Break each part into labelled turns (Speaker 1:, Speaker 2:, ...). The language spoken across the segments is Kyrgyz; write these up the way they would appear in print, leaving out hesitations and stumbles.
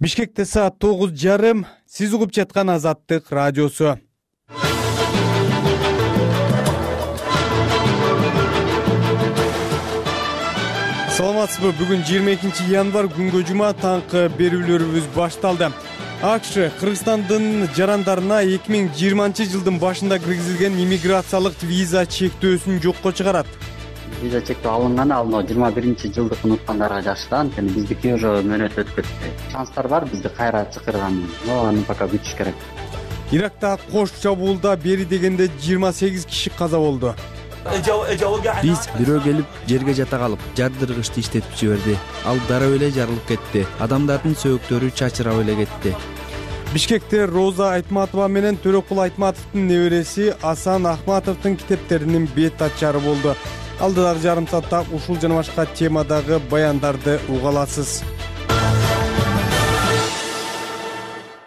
Speaker 1: Бишкекте саат 9:30. Сиз угуп жаткан Азаттык радиосу. Саламатсызбы? Бүгүн 22 январь күнгө жума таңкы берүүлөрүбүз башталды. АКШ Кыргызстандын жарандарына 2020 жылдын башында киргизилген иммиграциялык виза чектөөсүн жокко чыгарат.
Speaker 2: Виза чектөө алынганы ал 21-жылдык унуткандарга жакшы да, анткени биздики уже мөөнөт өтүп кетти. Шанстар бар бизди кайра чакырган, но аны пока күтүш керек.
Speaker 1: Иракта кош чабуулда бери дегенде 28 киши каза болду.
Speaker 3: Биз бирөө келип жерге жата калып, жардыргычты иштетип жиберди. Ал дароо эле жарылып кетти. Адамдардын сөөктөрү чачырап эле кетти.
Speaker 1: Бишкекте Роза Айтматова менен Төрөкул Айтматовдун небереси Асан Ахматовдун китептеринин бет ачары болду. Алдыдагы жарым саатта ушул жана башка темадагы баяндарды уга аласыз.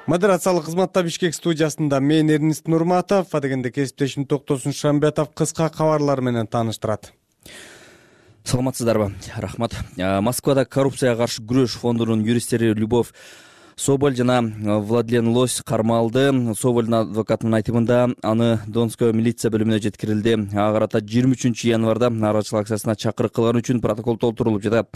Speaker 1: Модерациялык кызматта Бишкек студиясында мен Эрнист Нурматов, адегенде кесиптешим Токтосун Шамбетов кыска кабарлар менен тааныштырат.
Speaker 3: Саламатсыздарбы? Рахмат. Москвада коррупцияга каршы күрөш фондунун юристтери Любовь Соболь жана Владлен Лось кармалды. Собольдун адвокатынын айтымында аны Донской милиция бөлүмүнө жеткирилди. Ага карата 23 январда нарачылык акциясына чакырык кылган үчүн протокол толтурулуп жатат.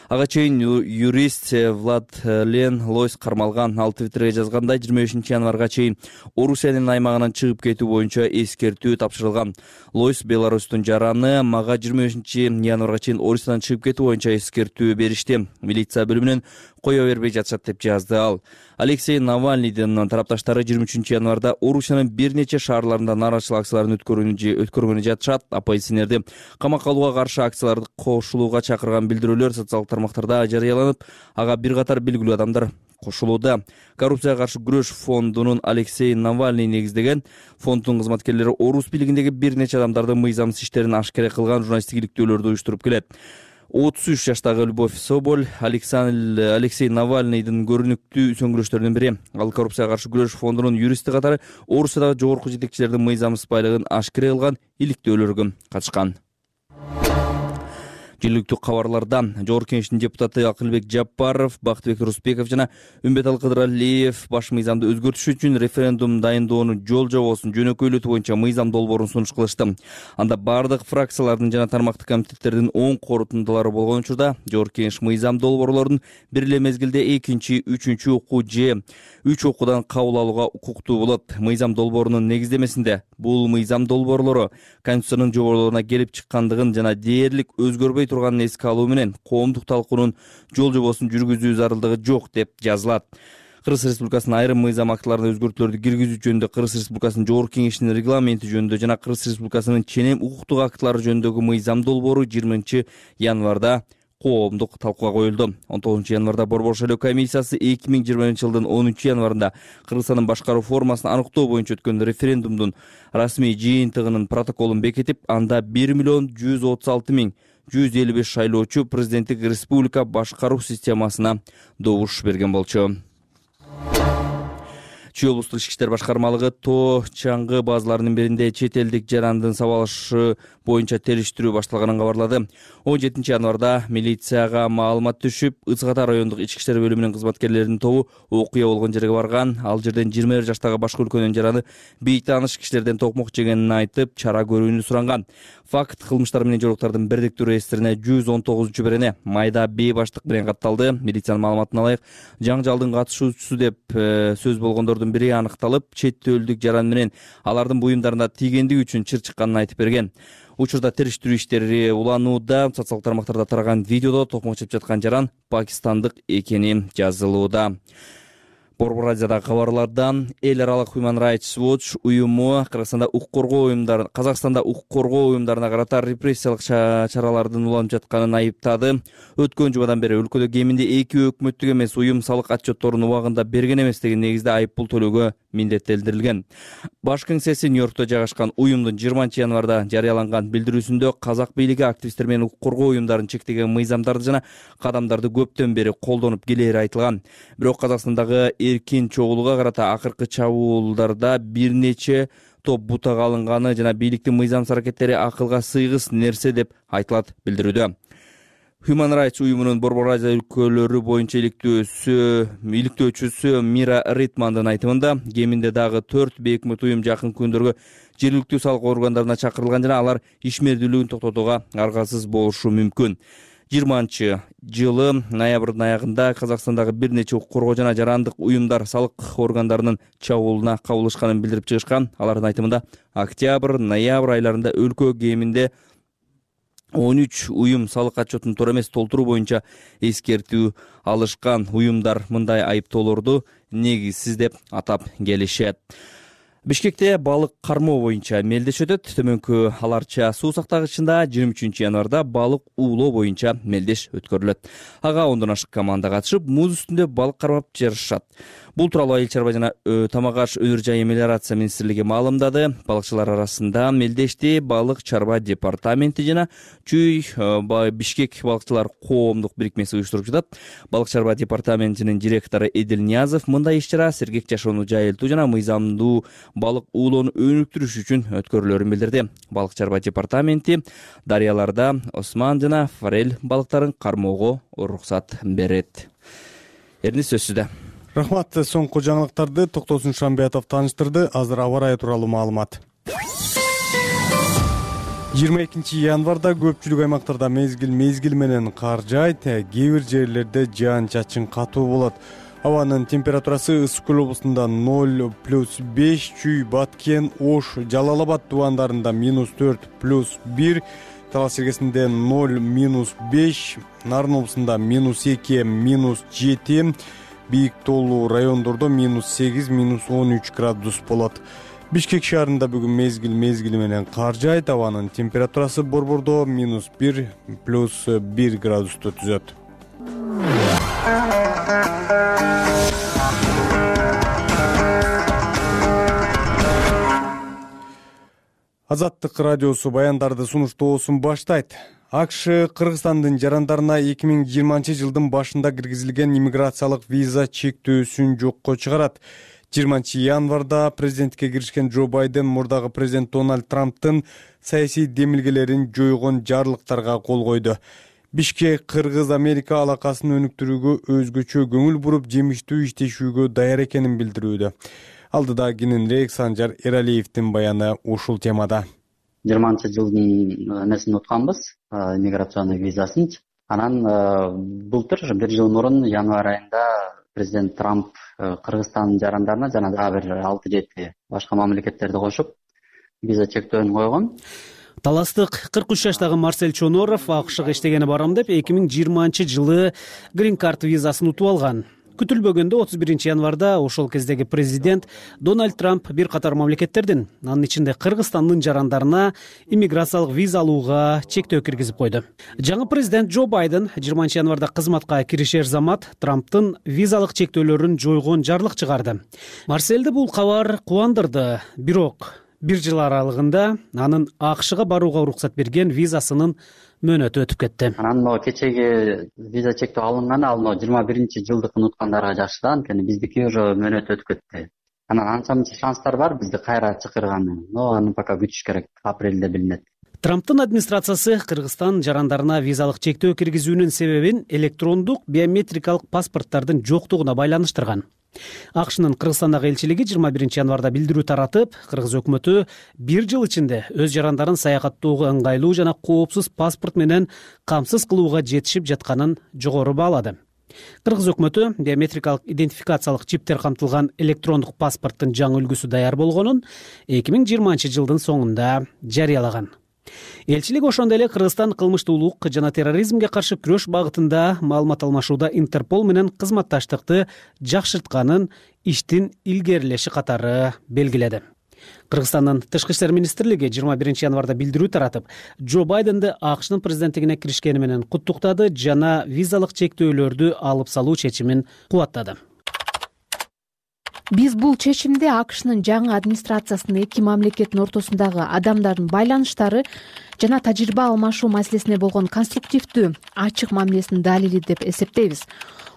Speaker 3: Ага чейин юрист Владлен Лось кармалган. Ал Твиттерге жазгандай 25 январга чейин Орусиянын аймагынан чыгып кетүү боюнча эскертүү тапшырылган. Лось Беларустун жараны, мага 25 январга чейин Орусиядан чыгып кетүү боюнча эскертүү беришти. Милиция бөлүмүнөн кое бербей жатышат деп жазды ал. Алексей Навальныйдын тарапташтары 23 январда Орусиянын бир нече шаарларында нарачылык акцияларын өткөргөнү жатышат. Оппозиционерди камакка алууга каршы акцияларды кошулууга чакырган билдирүүлөр социалдык тармактарда жарыяланып, ага бир катар белгилүү адамдар кошулууда. Коррупцияга каршы күрөш фондунун Алексей Навальный негиздеген фонддун кызматкерлери Орус бийлигиндеги бир нече адамдардын мыйзамсыз иштерин ашкере кылган журналисттик иликтөөлөрдү уюштуруп келет. 33 жаштагы Любовь Соболь Алексей Навальныйдын көрүнүктүү сөңгүрөштөрүнүн бири. Ал коррупцияга каршы күрөш фондунун юристи катары Орусиядагы жогорку жетекчилердин мыйзамсыз байлыгын ашкере кылган иликтөөлөргө катышкан. Жергиликтүү кабарларда Жогорку Кеңештин депутаты Акылбек Жапаров, Бактыбек Русбеков жана Үмбеталы Кыдыралиев баш мыйзамды өзгөртүш үчүн референдум дайындоону жол жобосун жөнөкөйлөтүү боюнча мыйзам долбоорун сунуш кылышты. Анда бардык фракциялардын жана тармактык комитеттердин оң корутундулары болгон учурда Жогорку Кеңеш мыйзам долбоорлорун бир эле мезгилде 2, 3 окуу же 3 окуудан кабыл алууга укуктуу болот. Мыйзам долбоорунун негиздемесинде бул мыйзам долбоорлору Конституциянын жоболоруна келип чыккандыгын жана дээрлик өзгөрбөй турганын эске алуу менен коомдук талкуунун жол жобосун жүргүзүү зарылдыгы жок деп жазылат. Кыргыз Республикасынын айрым мыйзам актыларына өзгөртүүлөрдү киргизүү жөнүндө Кыргыз Республикасынын Жогорку Кеңешинин регламенти жөнүндө жана Кыргыз Республикасынын ченем укуктук актылары жөнүндөгү мыйзам долбоору 20 январда коомдук талкууга коюлду. 19 январда Борбор шайлоо комиссиясы 2020 жылдын 10 январында Кыргызстандын башкаруу формасын аныктоо боюнча өткөн референдумдун расмий жыйынтыгынын протоколун бекитип, анда 1,136,155 шайлоочу президенттик республика башкаруу системасына добуш берген болчу. Чүй облустук ички иштер башкармалыгы тоо чаңгы базаларынын биринде чет элдик жарандын сабалышы боюнча териштирүү башталганын кабарлады. 17 январда милицияга маалымат түшүп, Ысык Ата райондук ички иштер бөлүмүнүн кызматкерлеринин тобу окуя болгон жерге барган. Ал жерден 21 жаштагы башка өлкөнүн жараны бейтааныш кишилерден токмок жегенин айтып, чара көрүүнү суранган. Факт кылмыштар менен жоруктардын бирдиктүү реестрине 119 берене майда бей баштык менен катталды. Милициянын маалыматына ылайык, жаңжалдын катышуучусу деп сөз болгондордун бири аныкталып, чет элдик жаран менен алардын буюмдарына тийгендиги үчүн чыр чыкканын айтып берген. Учурда териштирүү иштери уланууда. Социалдык тармактарда тараган видеодо токмок чеп жаткан жаран пакистандык экени жазылууда. Борбор радиодагы кабарлардан эл аралык Human Rights Watch уюму Казакстанда укук коргоо уюмдарына карата репрессиялык чаралардын уланып жатканын айыптады. Өткөн жумадан бери өлкөдө кеминде 2 өкмөттүк эмес уюм салык отчетторун убагында берген эмес деген негизде айыппул төлөөгө милдеттелдирилген. Баш кеңсеси Нью-Йоркто жайгашкан уюмдун 20 январда жарыяланган билдирүүсүндө казак бийлиги активисттер менен укук коргоо уюмдарын чектеген мыйзамдарды жана кадамдарды көптөн бери колдонуп келери айтылган. Бирок Казакстандагы эркин чогулууга карата акыркы чабуулдарда бир нече топ бутага алынганы жана бийликтин мыйзамсыз аракеттери акылга сыйгыс нерсе деп айтылат билдирүүдө. Human Rights уюмунун Борбор Азия өлкөлөрү боюнча иликтөөчүсү Мира Ритмандын айтымында кеминде дагы 4 бейөкмөт уюм жакын күндөргө жергиликтүү салык органдарына чакырылган жана алар ишмердүүлүгүн токтотууга аргасыз болушу мүмкүн. 20-жылы ноябрдын аягында Казакстандагы бир нече укук коргоо жана жарандык уюмдар салык органдарынын чабуулуна кабылышканын билдирип чыгышкан. Алардын айтымында октябрь-ноябрь айларында өлкө кеминде 13 уюм салык отчетун туура эмес толтуруу боюнча эскертүү алышкан. Уюмдар мындай айыптоолорду негизсиз деп атап келишет. Бишкекте балык кармоо боюнча мелдеш өтөт. Төмөнкү аларча суу сактагычында 23 январда балык уулоо боюнча мелдеш өткөрүлөт. Ага 10дон ашык команда катышып, муз үстүндө балык кармап жарышат. Бул тууралуу Айыл чарба жана тамак аш өнөр жайы мелиорация министрлиги маалымдады. Балыкчылар арасында мелдешти балык чарба департаменти жана Чүй Бишкек балыкчылар коомдук бирикмеси уюштуруп жатат. Балык чарба департаментинин директору Эдил Ниязов мындай иш-чара сергек жашоону жайылтуу жана мыйзамдуу балык уулоону өнүктүрүш үчүн өткөрүлөрүн билдирди. Балык чарба департаменти дарыяларда осман жана форель балыктарын кармоого уруксат берет. Эрни сөзсүздө.
Speaker 1: Рахмат. Соңку жаңылыктарды Токтосун Шамбиятов тааныштырды. Азыр аба ырайы тууралуу маалымат. 22 январда көпчүлүк аймактарда мезгил менен кар жаайт. Кээ бир жерлерде жаан-чачын катуу болот. Абанын температурасы Ысык Көл облусунда 0+5, Чүй, Баткен, Ош, Жалал Абад тубандарында -4+1, Талас Сергесинде 0-5, Нарын облусунда -2, -7, Бийик тоолуу райондордо -8, -13 градус болот. Бишкек шаарында бүгүн мезгил менен кар жаайт. Абанын температурасы борбордо -1+1 градусту түзөт. Азаттык радиосу баяндарды сунуштоосун баштайт. АКШ Кыргызстандын жарандарына 2020 жылдын башында киргизилген иммиграциялык виза чектөөсүн жокко чыгарат. 20 январда президентке киришкен Джо Байден мурдагы президент Дональд Трамптын саясий демилгелерин жойгон жарлыктарга кол койду. Бишкек Кыргыз-Америка алакасын өнүктүрүүгө өзгөчө көңүл буруп, жемиштүү иштешүүгө даяр экенин билдирүүдө. Алдыда кененирээк Санжар Эралиевдин баяны ушул темада.
Speaker 2: 20 жылдын несин утканбыз, иммиграционный визасын. Анан былтыр 1 жыл мурун январь айында президент Трамп Кыргызстандын жарандарына жана дагы бир 6-7 башка мамлекеттерди кошуп виза чектөөнү койгон.
Speaker 4: Таластык 43 жаштагы Марсель Чоноров АКШга иштегени барам деп 2020 жылы грин карт визасын утуп алган. Күтүлбөгөндө 31 январда ошол кездеги президент Дональд Трамп бир катар мамлекеттердин, анын ичинде Кыргызстандын жарандарына иммиграциялык виза алууга чектөө киргизип койду. Жаңы президент Джо Байден 20 январда кызматка киришер замат Трамптын визалык чектөөлөрүн жойгон жарлык чыгарды. Марсельди бул кабар кубандырды, бирок 1 жыл аралыгында анын АКШга барууга уруксат берген визасынын мөөнөтү өтүп кетти.
Speaker 2: Анан кечеги виза чектөө алынган, ал 21 жылдыкын уткандарга жакшы, анткени биздики уже мөөнөтү өтүп кетти. Анан анча-мынча шанстар бар бизди кайра чакырганы. Аны пока күтүш керек, апрелде билинет.
Speaker 4: Трамптын администрациясы Кыргызстан жарандарына визалык чектөө киргизүүнүн себебин электрондук биометрикалык паспорттардын жоктугуна байланыштырган. АКШнын Кыргызстандагы элчилиги 21 январда билдирүү таратып, Кыргыз өкмөтү 1 жыл ичинде өз жарандарын саякаттоого ыңгайлуу жана коопсуз паспорт менен камсыз кылууга жетишип жатканын жогору баалады. Кыргыз өкмөтү биометрикалык идентификациялык чиптер камтылган электрондук паспорттун жаңы үлгүсү даяр болгонун 2020 жылдын соңунда жарыялаган. Элчилик ошондой эле Кыргызстан кылмыштуулук жана терроризмге каршы күрөш багытында маалымат алмашууда Интерпол менен кызматташтыкты жакшыртканын иштин илгерилеши катары белгиледи. Кыргызстандын Тышкы иштер министрлиги 21 январда билдирүү таратып, Джо Байденди АКШнын президенттигине киришкени менен куттуктады жана визалык чектөөлөрдү алып салуу чечимин кубаттады.
Speaker 5: Биз бул чечимди АКШнын жаңы администрациясынын эки мамлекеттин ортосундагы адамдардын байланыштары жана тажрыйба алмашуу маселесине болгон конструктивдүү, ачык мамилесинин далили деп эсептейбиз.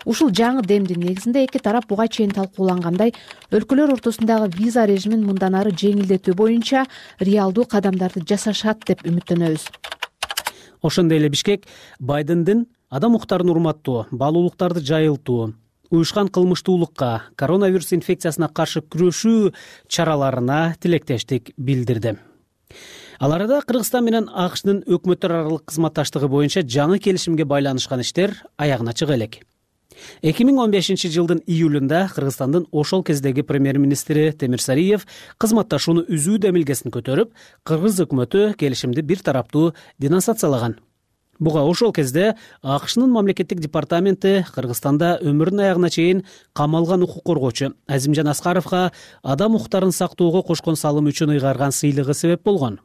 Speaker 5: Ушул жаңы демдин негизинде эки тарап буга чейин талкуулангандай өлкөлөр ортосундагы виза режимин мындан ары жеңилдетүү боюнча реалдуу кадамдарды жасашат деп үмүттөнөбүз.
Speaker 4: Ошондой эле Бишкек Байдендин адам укуктарын урматтоо, баалуулуктарды жайылтуу, уюшкан кылмыштуулукка, коронавирус инфекциясына каршы күрөшүү чараларына тилектештик билдирди. Ал арада Кыргызстан менен АКШнын өкмөттөр аралык кызматташтыгы боюнча жаңы келишимге байланышкан иштер аягына чыга элек. 2015 жылдын июлунда Кыргызстандын ошол кездеги премьер-министри Темир Сариев кызматташууну үзүү демилгесин көтөрүп, кыргыз өкмөтү келишимди бир тараптуу денонсациялаган. Буга ошол кезде АКШнын мамлекеттик департаменти Кыргызстанда өмүрүнүн аягына чейин камалган укук коргоочу Азимжан Аскаровго адам укуктарын сактоого кошкон салымы үчүн ыйгарган сыйлыгы себеп болгон.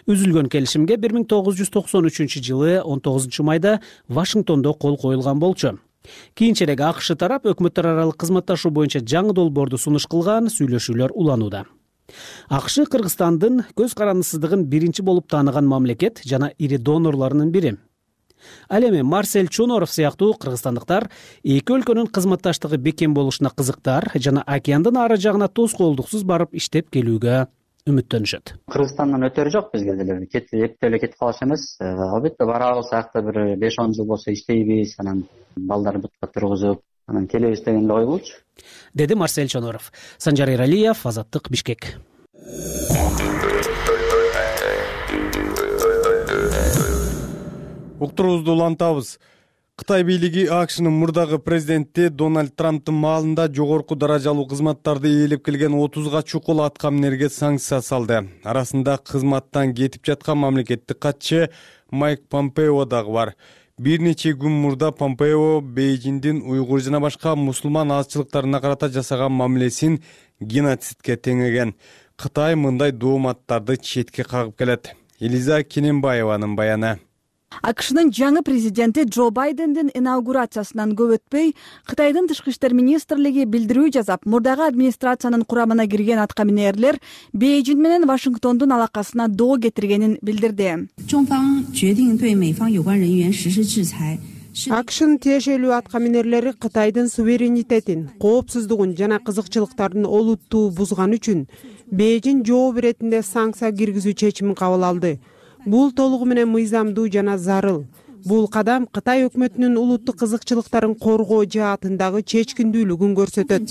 Speaker 4: Үзүлгөн келишимге 1993 жылы 19 майда Вашингтондо кол коюлган болчу. Кийинчерээк АКШ тарап өкмөттөр аралык кызматташуу боюнча жаңы долбоорду сунуш кылган, сүйлөшүүлөр уланууда. АКШ Кыргызстандын көз карандысыздыгын биринчи болуп тааныган мамлекет жана ири донорлорунун бири. Ал эми Марсель Чоноров сыяктуу кыргызстандыктар эки өлкөнүн кызматташтыгы бекем болушуна кызыктар жана океандын ары жагына тоскоолдуксуз барып иштеп келүүгө үмүттөнүшөт.
Speaker 2: Кыргызстандан өтөрү жок бизге деле. Эптеп эле кетип калыш эмес. Албетте барабыз, акта бир 5-10 жыл болсо иштейбиз, анан балдарды бутка тургузуп, анан келебиз деген эле ойбулчу.
Speaker 5: Деди Марсель Чоноров. Санжар Иралиев, Азаттык, Бишкек.
Speaker 1: Уктуруубузду улантабыз. Кытай бийлиги АКШнын мурдагы президенти Дональд Трамптын маалында жогорку даражалуу кызматтарды ээлеп келген 30га чукул аткаминерге санкция салды. Арасында кызматтан кетип жаткан мамлекеттик катчы Майк Помпео дагы бар. Бир нече күн мурда Помпео Бейжиңдин уйгур жана башка мусулман азчылыктарына карата жасаган мамилесин геноцидке теңеген. Кытай мындай дооматтарды четке кагып келет. Элиза Кененбаеванын баяны.
Speaker 6: АКШнын жаңы президенти Джо Байдендин инаугурациясынан көп өтпөй, Кытайдын тышкы иштер министрлиги билдирүү жасап, мурдагы администрациянын курамына кирген аткаминерлер Бейжиң менен Вашингтондун алакасына доо кетиргенин билдирди.
Speaker 7: АКШнын тиешелүү аткаминерлери Кытайдын суверенитетин, коопсуздугун жана кызыкчылыктарын олуттуу бузган үчүн Бейжиң жооп иретинде санкция киргизүү чечимин кабыл алды. Бул толугу менен мыйзамдуу жана зарыл. Бул кадам Кытай өкмөтүнүн улуттук кызыкчылыктарын коргоо жаатындагы чечкиндүүлүгүн көрсөтөт.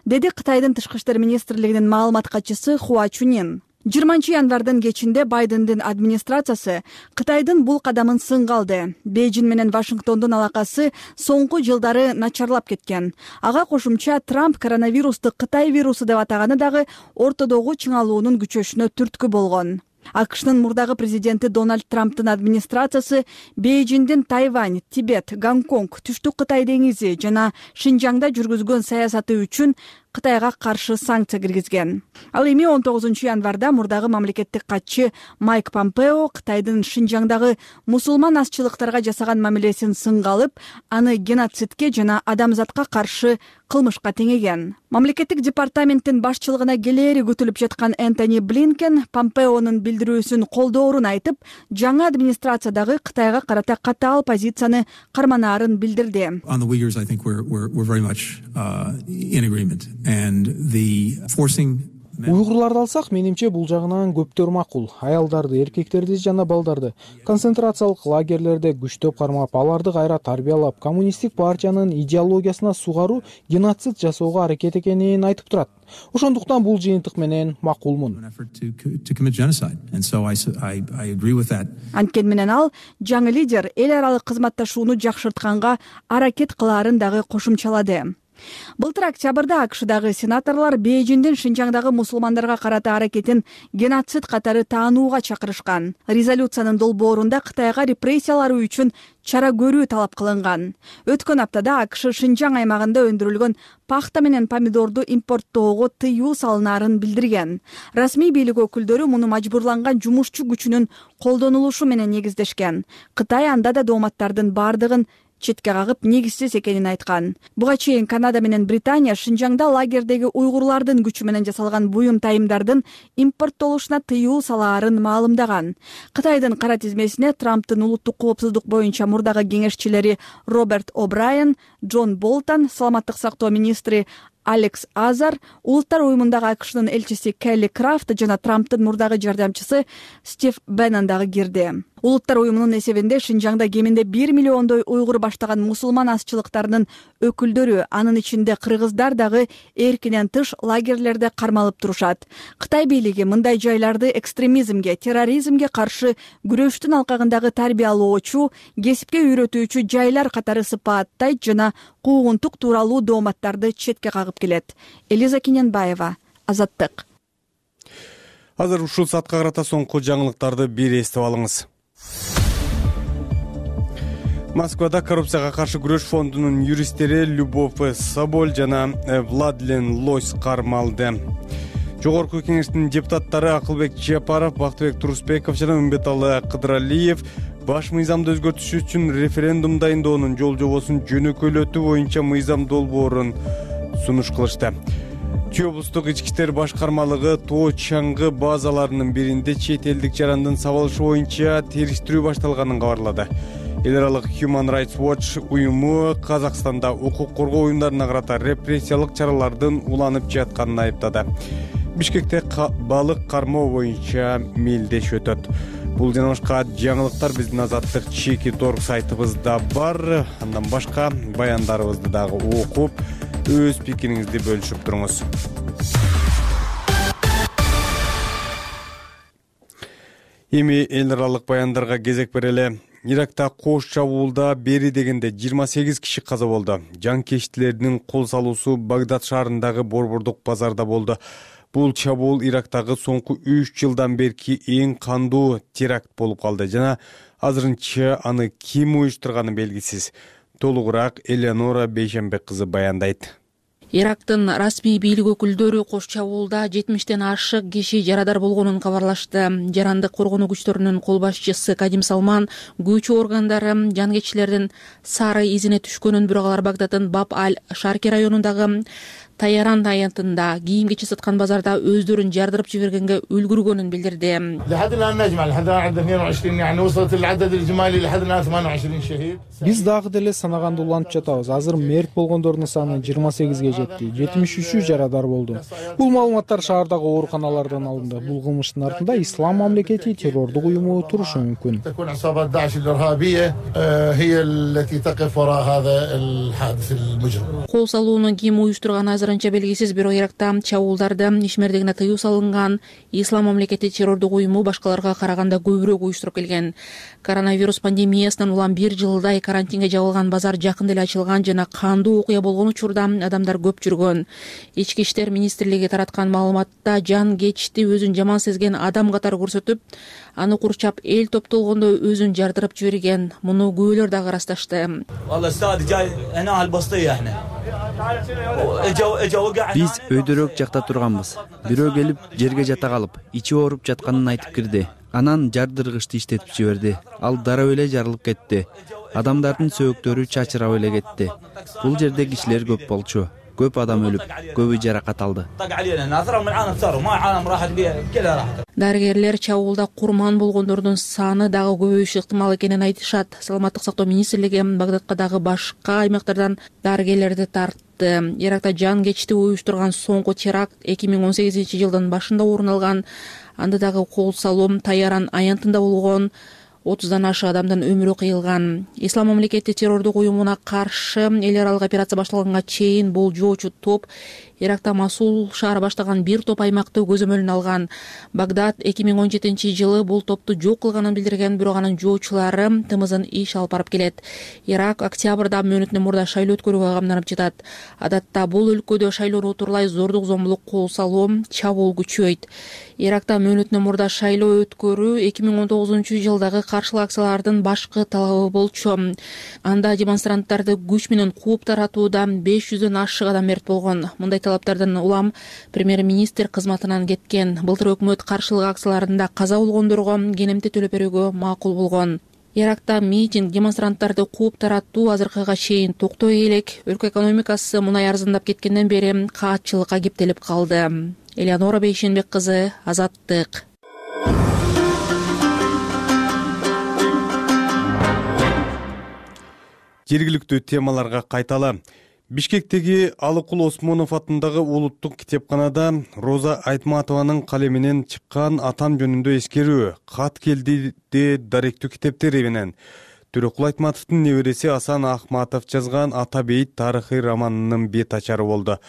Speaker 6: Деди Кытайдын тышкы иштер министрлигинин маалымат катчысы Хуа Чунин. 20 январдын кечинде Байдендин администрациясы Кытайдын бул кадамын сынга алды. Бейжиң менен Вашингтондун алакасы соңку жылдары начарлап кеткен. Ага кошумча Трамп коронавирусту Кытай вирусу деп атаганы дагы ортодогу чыңалуунун күчөшүнө түрткү болгон. АКШнын мурдагы президенти Дональд Трамптын администрациясы Бейжиңдин Тайвань, Тибет, Гонконг, Түштүк Кытай деңизи жана Шинжаңда жүргүзгөн саясаты үчүн Кытайга каршы санкция киргизген. Ал эми 19 январда мурдагы мамлекеттик катчы Майк Помпео Кытайдын Шинжаңдагы мусулман азчылыктарга жасаган мамилесин сынга алып, аны геноцидке жана адамзатка каршы кылмышка теңеген. Мамлекеттик департаменттин башчылыгына келери күтүлүп жаткан Энтони Блинкен Помпеонун билдирүүсүн колдоорун айтып, жаңы администрациядагы Кытайга карата катаал позицияны карманаарын билдирди.
Speaker 8: Уйгурларды алсак, менимче бул жагынан көптөр макул. Аялдарды, эркектерди жана балдарды концентрациялык лагерлерде күчтөп кармап, аларды кайра тарбиялап, коммунисттик партиянын идеологиясына сугаруу геноцид жасоого аракет экенин айтып турат. Ошондуктан бул жыйынтык менен макулмун.
Speaker 6: Анткени менен ал жаңы лидер эл аралык кызматташууну жакшыртканга аракет кылаарын дагы кошумчалады. Былтыр октябрда АКШдагы сенаторлор Бейжиңдин Шинжаңдагы мусулмандарга карата аракетин геноцид катары таанууга чакырышкан. Резолюциянын долбоорунда Кытайга репрессиялары үчүн чара көрүү талап кылынган. Өткөн аптада АКШ Шинжаң аймагында өндүрүлгөн пахта менен помидорду импорттоого тыюу салынаарын билдирген. Расмий бийлик өкүлдөрү муну мажбурланган жумушчу күчүнүн колдонулушу менен негиздешкен. Кытай анда да дооматтардын бардыгын четке кагып негизсиз экенин айткан. Буга чейин Канада менен Британия Шинжаңда лагердеги уйгурлардын күчү менен жасалган буюм тайымдардын импорттолушуна тыюу салаарын маалымдаган. Кытайдын кара тизмесине Трамптын улуттук коопсуздук боюнча мурдагы кеңешчилери Роберт О'Брайен, Джон Болтон, саламаттык сактоо министри Алекс Азар, улуттар уюмундагы АКШнын элчиси Келли Крафт жана Трамптын мурдагы жардамчысы Стив Беннон дагы кирди. Улуттар уюмунун эсебинде Шинжаңда кеминде 1 миллиондой уйгур баштаган мусулман азчылыктарынын өкүлдөрү, анын ичинде кыргыздар дагы эркинен тыш лагерлерде кармалып турушат. Кытай бийлиги мындай жайларды экстремизмге, терроризмге каршы күрөштүн алкагындагы тарбиялоочу, кесипке үйрөтүүчү жайлар катары сыпааттайт жана куугунтук тууралуу дооматтарды четке кагып келет. Элиза Кененбаева, Азаттык.
Speaker 1: Азыр ушул саатка карата соңку жаңылыктарды бир эстеп алыңыз. Москвада коррупцияга каршы күрөш фондунун юристтери Любовь Соболь жана Владлен Лось кармалды. Жогорку кеңештин депутаттары Акылбек Жапаров, Бактыбек Турусбеков жана Үмбеталы Кыдыралиев баш мыйзамды өзгөртүш үчүн референдум дайындоонун жол жобосун жөнөкөйлөтүү боюнча мыйзам долбоорун сунуш кылышты. Чүй облустук ички иштер башкармалыгы Тоо Чаңгы базаларынын биринде чет элдик жарандын сабалышы боюнча териштирүү башталганын кабарлады. Эл аралык Human Rights Watch уюму Казакстанда укук коргоо уюмдарына карата репрессиялык чаралардын уланып жатканын айыптады. Бишкекте балык кармоо боюнча мелдеш өтөт. Бул жана башка жаңылыктар биздин Азаттык Чеки.org сайтыбызда бар. Андан башка баяндарыбызды дагы окуп, өз пикириңизди бөлүшүп туруңуз. Эми эл аралык баяндарга кезек берели. Иракта кош чабуулда бери дегенде 28 киши каза болду. Жанкечтилердин кол салуусу Багдад шаарындагы борбордук базарда болду. Бул чабуул Ирактагы соңку 3 жылдан берки эң кандуу теракт болуп калды жана азырынча аны ким уюштурганы белгисиз. Толугураак Элеонора Бейшембек кызы баяндайт.
Speaker 9: Ирактын расмий бийлик өкүлдөрү кош чабуулда 70тен ашык киши жарадар болгонун кабарлашты. Жарандык коргонуу күчтөрүнүн кол башчысы Кадим Салман күч органдары жанкечтилердин сары изине түшкөнүн, бирок алар Багдаддын Баб-аль-Шарки районундагы Таяран аянтында кийим кече саткан базарда өздөрүн жардырып жибергенге үлгүргөнүн билдирди.
Speaker 8: Биз дагы деле санаганды улантып жатабыз. Азыр мерт болгондордун саны 28ге жетти. 73 жарадар болду. Бул маалыматтар шаардагы ооруканалардан алынды. Бул кылмыштын артында Ислам мамлекети террордук уюму турушу мүмкүн.
Speaker 9: Кол салууну ким уюштурган азырынча белгисиз, бирок Иракта чабуулдарды ишмердигине тыюу салынган Ислам мамлекети террордук уюму башкаларга караганда көбүрөөк уюштуруп келген. Коронавирус пандемиясынан улам 1 жылдай карантинге жабылган базар жакында эле ачылган жана кандуу окуя болгон учурда адамдар көп жүргөн. Ички иштер министрлиги тараткан маалыматта жан кечти өзүн жаман сезген адам катары көрсөтүп, аны курчап эл топтолгондо өзүн жардырып жиберген. Муну күбөлөр дагы ырасташты.
Speaker 10: Биз өйдөрөөк жакта турганбыз. Бирөө келип жерге жата калып, ичи ооруп жатканын айтып кирди. Анан жардыргычты иштетип жиберди. Ал дароо эле жарылып кетти. Адамдардын сөөктөрү чачырап эле кетти. Бул жерде кишилер көп болчу. Көп адам өлүп, көбү жаракат алды.
Speaker 9: Дарыгерлер чабуулда курман болгондордун саны дагы көбөйүшү ыктымал экенин айтышат. Саламаттык сактоо министрлиги Багдадка дагы башка аймактардан дарыгерлерди тартты. Иракта жан кечти уюштурган соңку теракт 2018-жылдын башында орун алган. Анда дагы кол салуу Таяран аянтында болгон. 30дан ашык адамдын өмүрү кыйылган. Ислам мамлекети террордук уюмуна каршы эл аралык операция башталганга чейин бул жоочу топ Иракта Масул шаары баштаган бир топ аймакты көзөмөлүнө алган. Багдад 2017-жылы бул топту жок кылганын билдирген, бирок анын жоочулары тымызын иш алып барып келет. Ирак октябрда мөөнөтүнөн мурда шайлоо өткөрүүгө камданып жатат. Адатта бул өлкөдө шайлоону утурлай зордук зомбулук кол салуу, чабуул күчөйт. Иракта мөөнөтүнөн мурда шайлоо өткөрүү 2019-жылдагы каршылык акциялардын башкы талабы болчу. Анда демонстранттарды күч менен кууп таратууда 500дөн ашык адам мерт болгон. Мындай талаптардан улам премьер-министр кызматынан кеткен. Былтыр өкмөт каршылык акцияларында каза болгондорго кенемти төлөп берүүгө макул болгон. Иракта митинг демонстранттарды кууп таратуу азыркыга чейин токтой элек. Өлкө экономикасы мунай арзандап кеткенден бери каатчылыкка кептелип калды. Элеонора Бейшенбек кызы, Азаттык.
Speaker 1: Жергиликтүү темаларга кайталы. Бишкектеги Алыкул Осмонов атындагы улуттук китепканада Роза Айтматованын калеминен чыккан атам жөнүндө эскерүү кат келди даректүү китептери менен Төрөкул Айтматовдун небереси Асан Ахматов жазган Ата бейит тарыхый романынын бет ачары болду.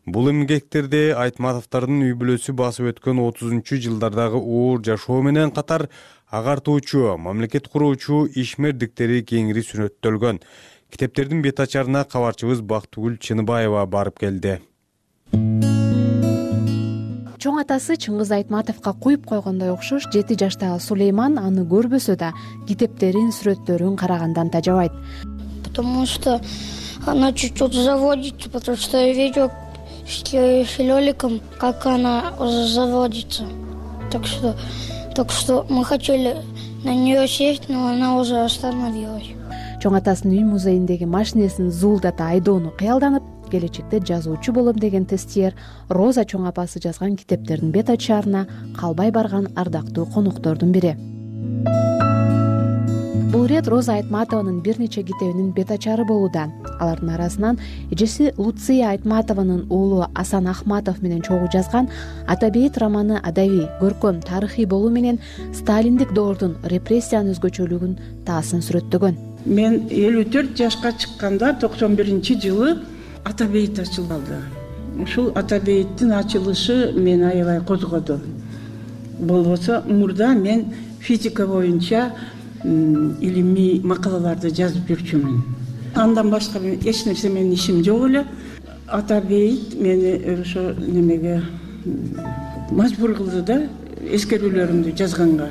Speaker 1: Бул эмгектерде Айтматовдордун үй бүлөсү басып өткөн 30-жылдардагы оор жашоо менен катар агартуучу, мамлекет куруучу ишмердиктери кеңири сүрөттөлгөн. Китептердин бет ачарына кабарчыбыз Бактыгүл Чыныбаева барып келди.
Speaker 5: Чоң атасы Чыңгыз Айтматовго куюп койгондой окшош 7 жаштагы Сулейман аны көрбөсө да китептерин, сүрөттөрүн карагандан тажабайт.
Speaker 11: Потому что она чуть-чуть заводится, потому что я видел с Лёликом, как она заводится. Так что мы хотели на нее сесть, но она уже остановилась.
Speaker 5: Чоң атасынын үй музейиндеги машинесин зуулдата айдоону кыялданып, келечекте жазуучу болом деген тестиер Роза чоң апасы жазган китептердин бет ачарына калбай барган ардактуу коноктордун бири. Бул ирет Роза Айтматованын бир нече китебинин бет ачары болууда. Алардын арасынан эжеси Луция Айтматованын уулу Асан Ахматов менен чогуу жазган Ата бейит романы адабий, көркөм, тарыхый болуу менен сталиндик доордун репрессиянын өзгөчөлүгүн таасын сүрөттөгөн.
Speaker 12: Мен 54 жашка чыкканда 91-жылы Ата бейит ачылды. Ушул Ата бейиттин ачылышы мени аябай козгоду. Болбосо мурда мен физика боюнча илимий макалаларды жазып жүрчүмүн. Андан башка эч нерсе менин ишим жок эле. Ата бейит мени ошо немеге мажбур кылды да, эскерүүлөрүмдү жазганга.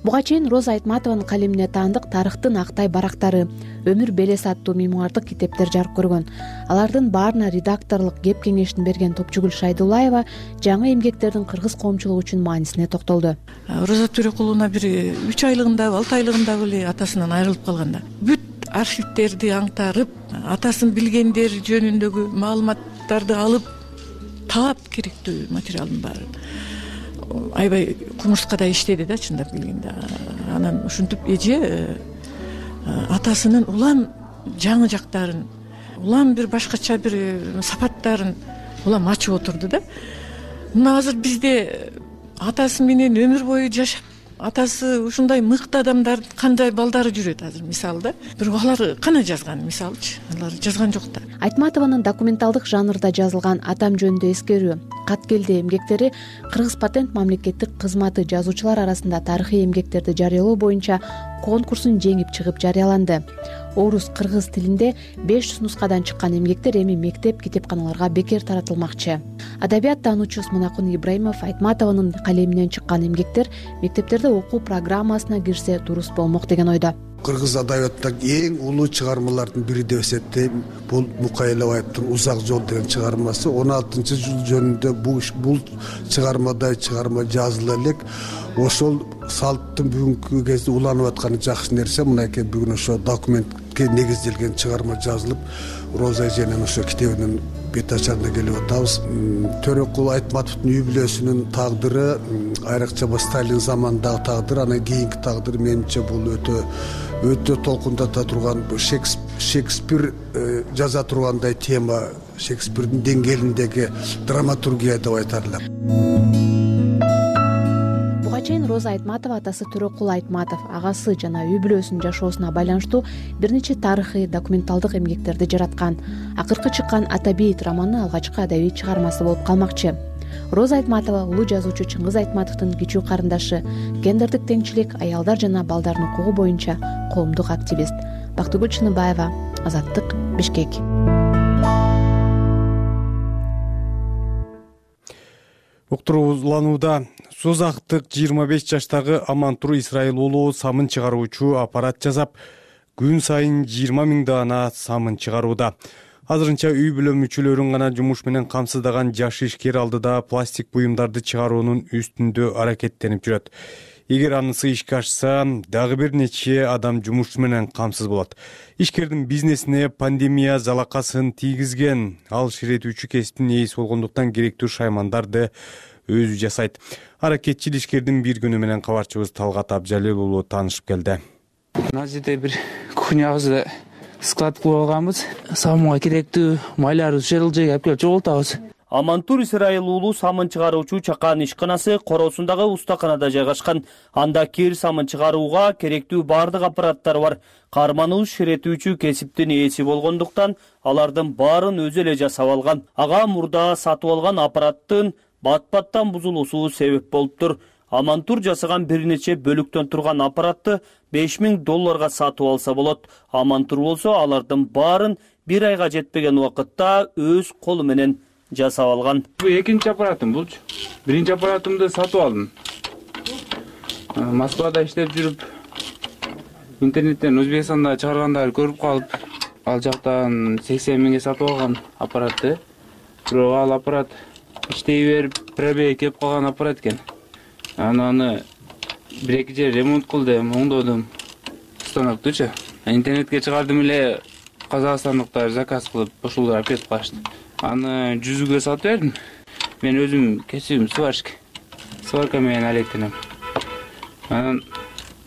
Speaker 5: Буга чейин Роза Айтматованын калемине таандык тарыхтын актай барактары, өмүр белес аттуу мемуардык китептер жарык көргөн. Алардын баарына редакторлук кеп кеңешин берген Топчугүл Шайдуллаева жаңы эмгектердин кыргыз коомчулугу үчүн маанисине токтолду.
Speaker 13: Роза Төрөкуловна бир 3 айлыгындабы, 6 айлыгындабы эле атасынан айрылып калганда, бүт архивтерди аңтарып, атасын билгендер жөнүндөгү маалыматтарды алып, таап керектүү материалдын баарын аябай кумурскадай иштеди да, чындап келгенде. Анан ушинтип эже атасынын улам жаңы жактарын, улам бир башкача бир сапаттарын улам ачып отурду да. Мына азыр бизде атасы менен өмүр бою жашап, атасы ушундай мыкты адамдар кандай балдары жүрөт азыр, мисалы да. Бирок алар кана жазган, мисалычы, алар жазган жок да.
Speaker 5: Айтматованын документалдык жанрда жазылган Атам жөнүндө эскерүү, Кат келди эмгектери Кыргыз патент мамлекеттик кызматы жазуучулар арасында тарыхый эмгектерди жарыялоо боюнча конкурсун жеңип чыгып жарыяланды. Орус кыргыз тилинде 500 нускадан чыккан эмгектер эми мектеп китепканаларга бекер таратылмакчы. Адабият таануучу Смунакун Ибраимов Айтматованын калеминен чыккан эмгектер мектептерде окуу программасына кирсе дуруз болмок деген ойдо.
Speaker 14: Кыргыз адабиятындагы эң улуу чыгармалардын бири деп эсептейм. Бул Мукай Элебаевдин Узак жол деген чыгармасы. 16-жыл жөнүндө бул чыгармадай чыгарма жазыла элек. Ошол салттын бүгүнкү кезде уланып атканы жакшы нерсе. Мынакей бүгүн ошо документке негизделген чыгарма жазылып, Роза эженин ошо китебинин бет ачарына келип атабыз. Төрөкул Айтматовдун үй бүлөсүнүн тагдыры, айрыкча Сталин заманындагы тагдыр, анан кийинки тагдыр менимче бул өтө толкундата турган, Шекспир жаза тургандай тема, Шекспирдин деңгээлиндеги драматургия деп айтарлар.
Speaker 5: Буга чейин Роза Айтматова атасы Төрөкул Айтматов агасы жана үй бүлөсүнүн жашоосуна байланыштуу бир нече тарыхый документалдык эмгектерди жараткан. Акыркы чыккан Ата бейит романы алгачкы адабий чыгармасы болуп калмакчы. Роза Айтматова улуу жазуучу Чыңгыз Айтматовдун кичүү карындашы, гендердик теңчилик, аялдар жана балдардын укугу боюнча коомдук активист. Бактыгүл Чыныбаева, Азаттык, Бишкек.
Speaker 1: Уктурууланууда Созактык 25 жаштагы Амантур Исраил уулу самын чыгаруучу аппарат жасап, күн сайын 20 000 даана самын чыгарууда. Азырынча үй бүлө мүчөлөрүн гана жумуш менен камсыздаган жаш ишкер алдыда пластик буюмдарды чыгаруунун үстүндө аракеттенип жүрөт. Эгер анысы ишке ашса, дагы бир нече адам жумуш менен камсыз болот. Ишкердин бизнесине пандемия залакасын тийгизген. Ал ширетүүчү кесиптин ээси болгондуктан керектүү шаймандарды өзү жасайт. Аракетчил ишкердин бир күнү менен кабарчыбыз Талгат Абжалил уулу таанышып келди.
Speaker 15: Мына жерде бир кухнябызды склад кылып алганбыз. Самынга керектүү майларыбызды ушул жерге алып келип чогултабыз.
Speaker 16: Амантур Исраил уулу самын чыгаруучу чакан ишканасы короосундагы устаканада жайгашкан. Анда кир самын чыгарууга керектүү бардык аппараттар бар. Карманыбыз ширетүүчү кесиптин ээси болгондуктан алардын баарын өзү эле жасап алган. Ага мурда сатып алган аппараттын бат-баттан бузулуусу себеп болуптур. Амантур жасаган бир нече бөлүктөн турган аппаратты $5000 сатып алса болот. Амантур болсо алардын баарын бир айга жетпеген убакытта өз колу менен жасап алган.
Speaker 15: Бул экинчи аппаратым булчу. Биринчи аппаратымды сатып алдым. Москвада иштеп жүрүп, интернеттен Өзбекстанда чыгаргандарды көрүп калып, ал жактан 80 миңге сатып алган аппаратты. Бирок ал аппарат иштей берип, пробег келип калган аппарат экен. Аны бир-эки жер ремонт кылдым, оңдодум. Станоктучу. Интернетке чыгардым эле, казакстандыктар заказ кылып, ошолор алып кетип калышты. Аны 100ге сатып бердим. Мен өзүм кесибим сварщик. Сварка менен алектенем. Анан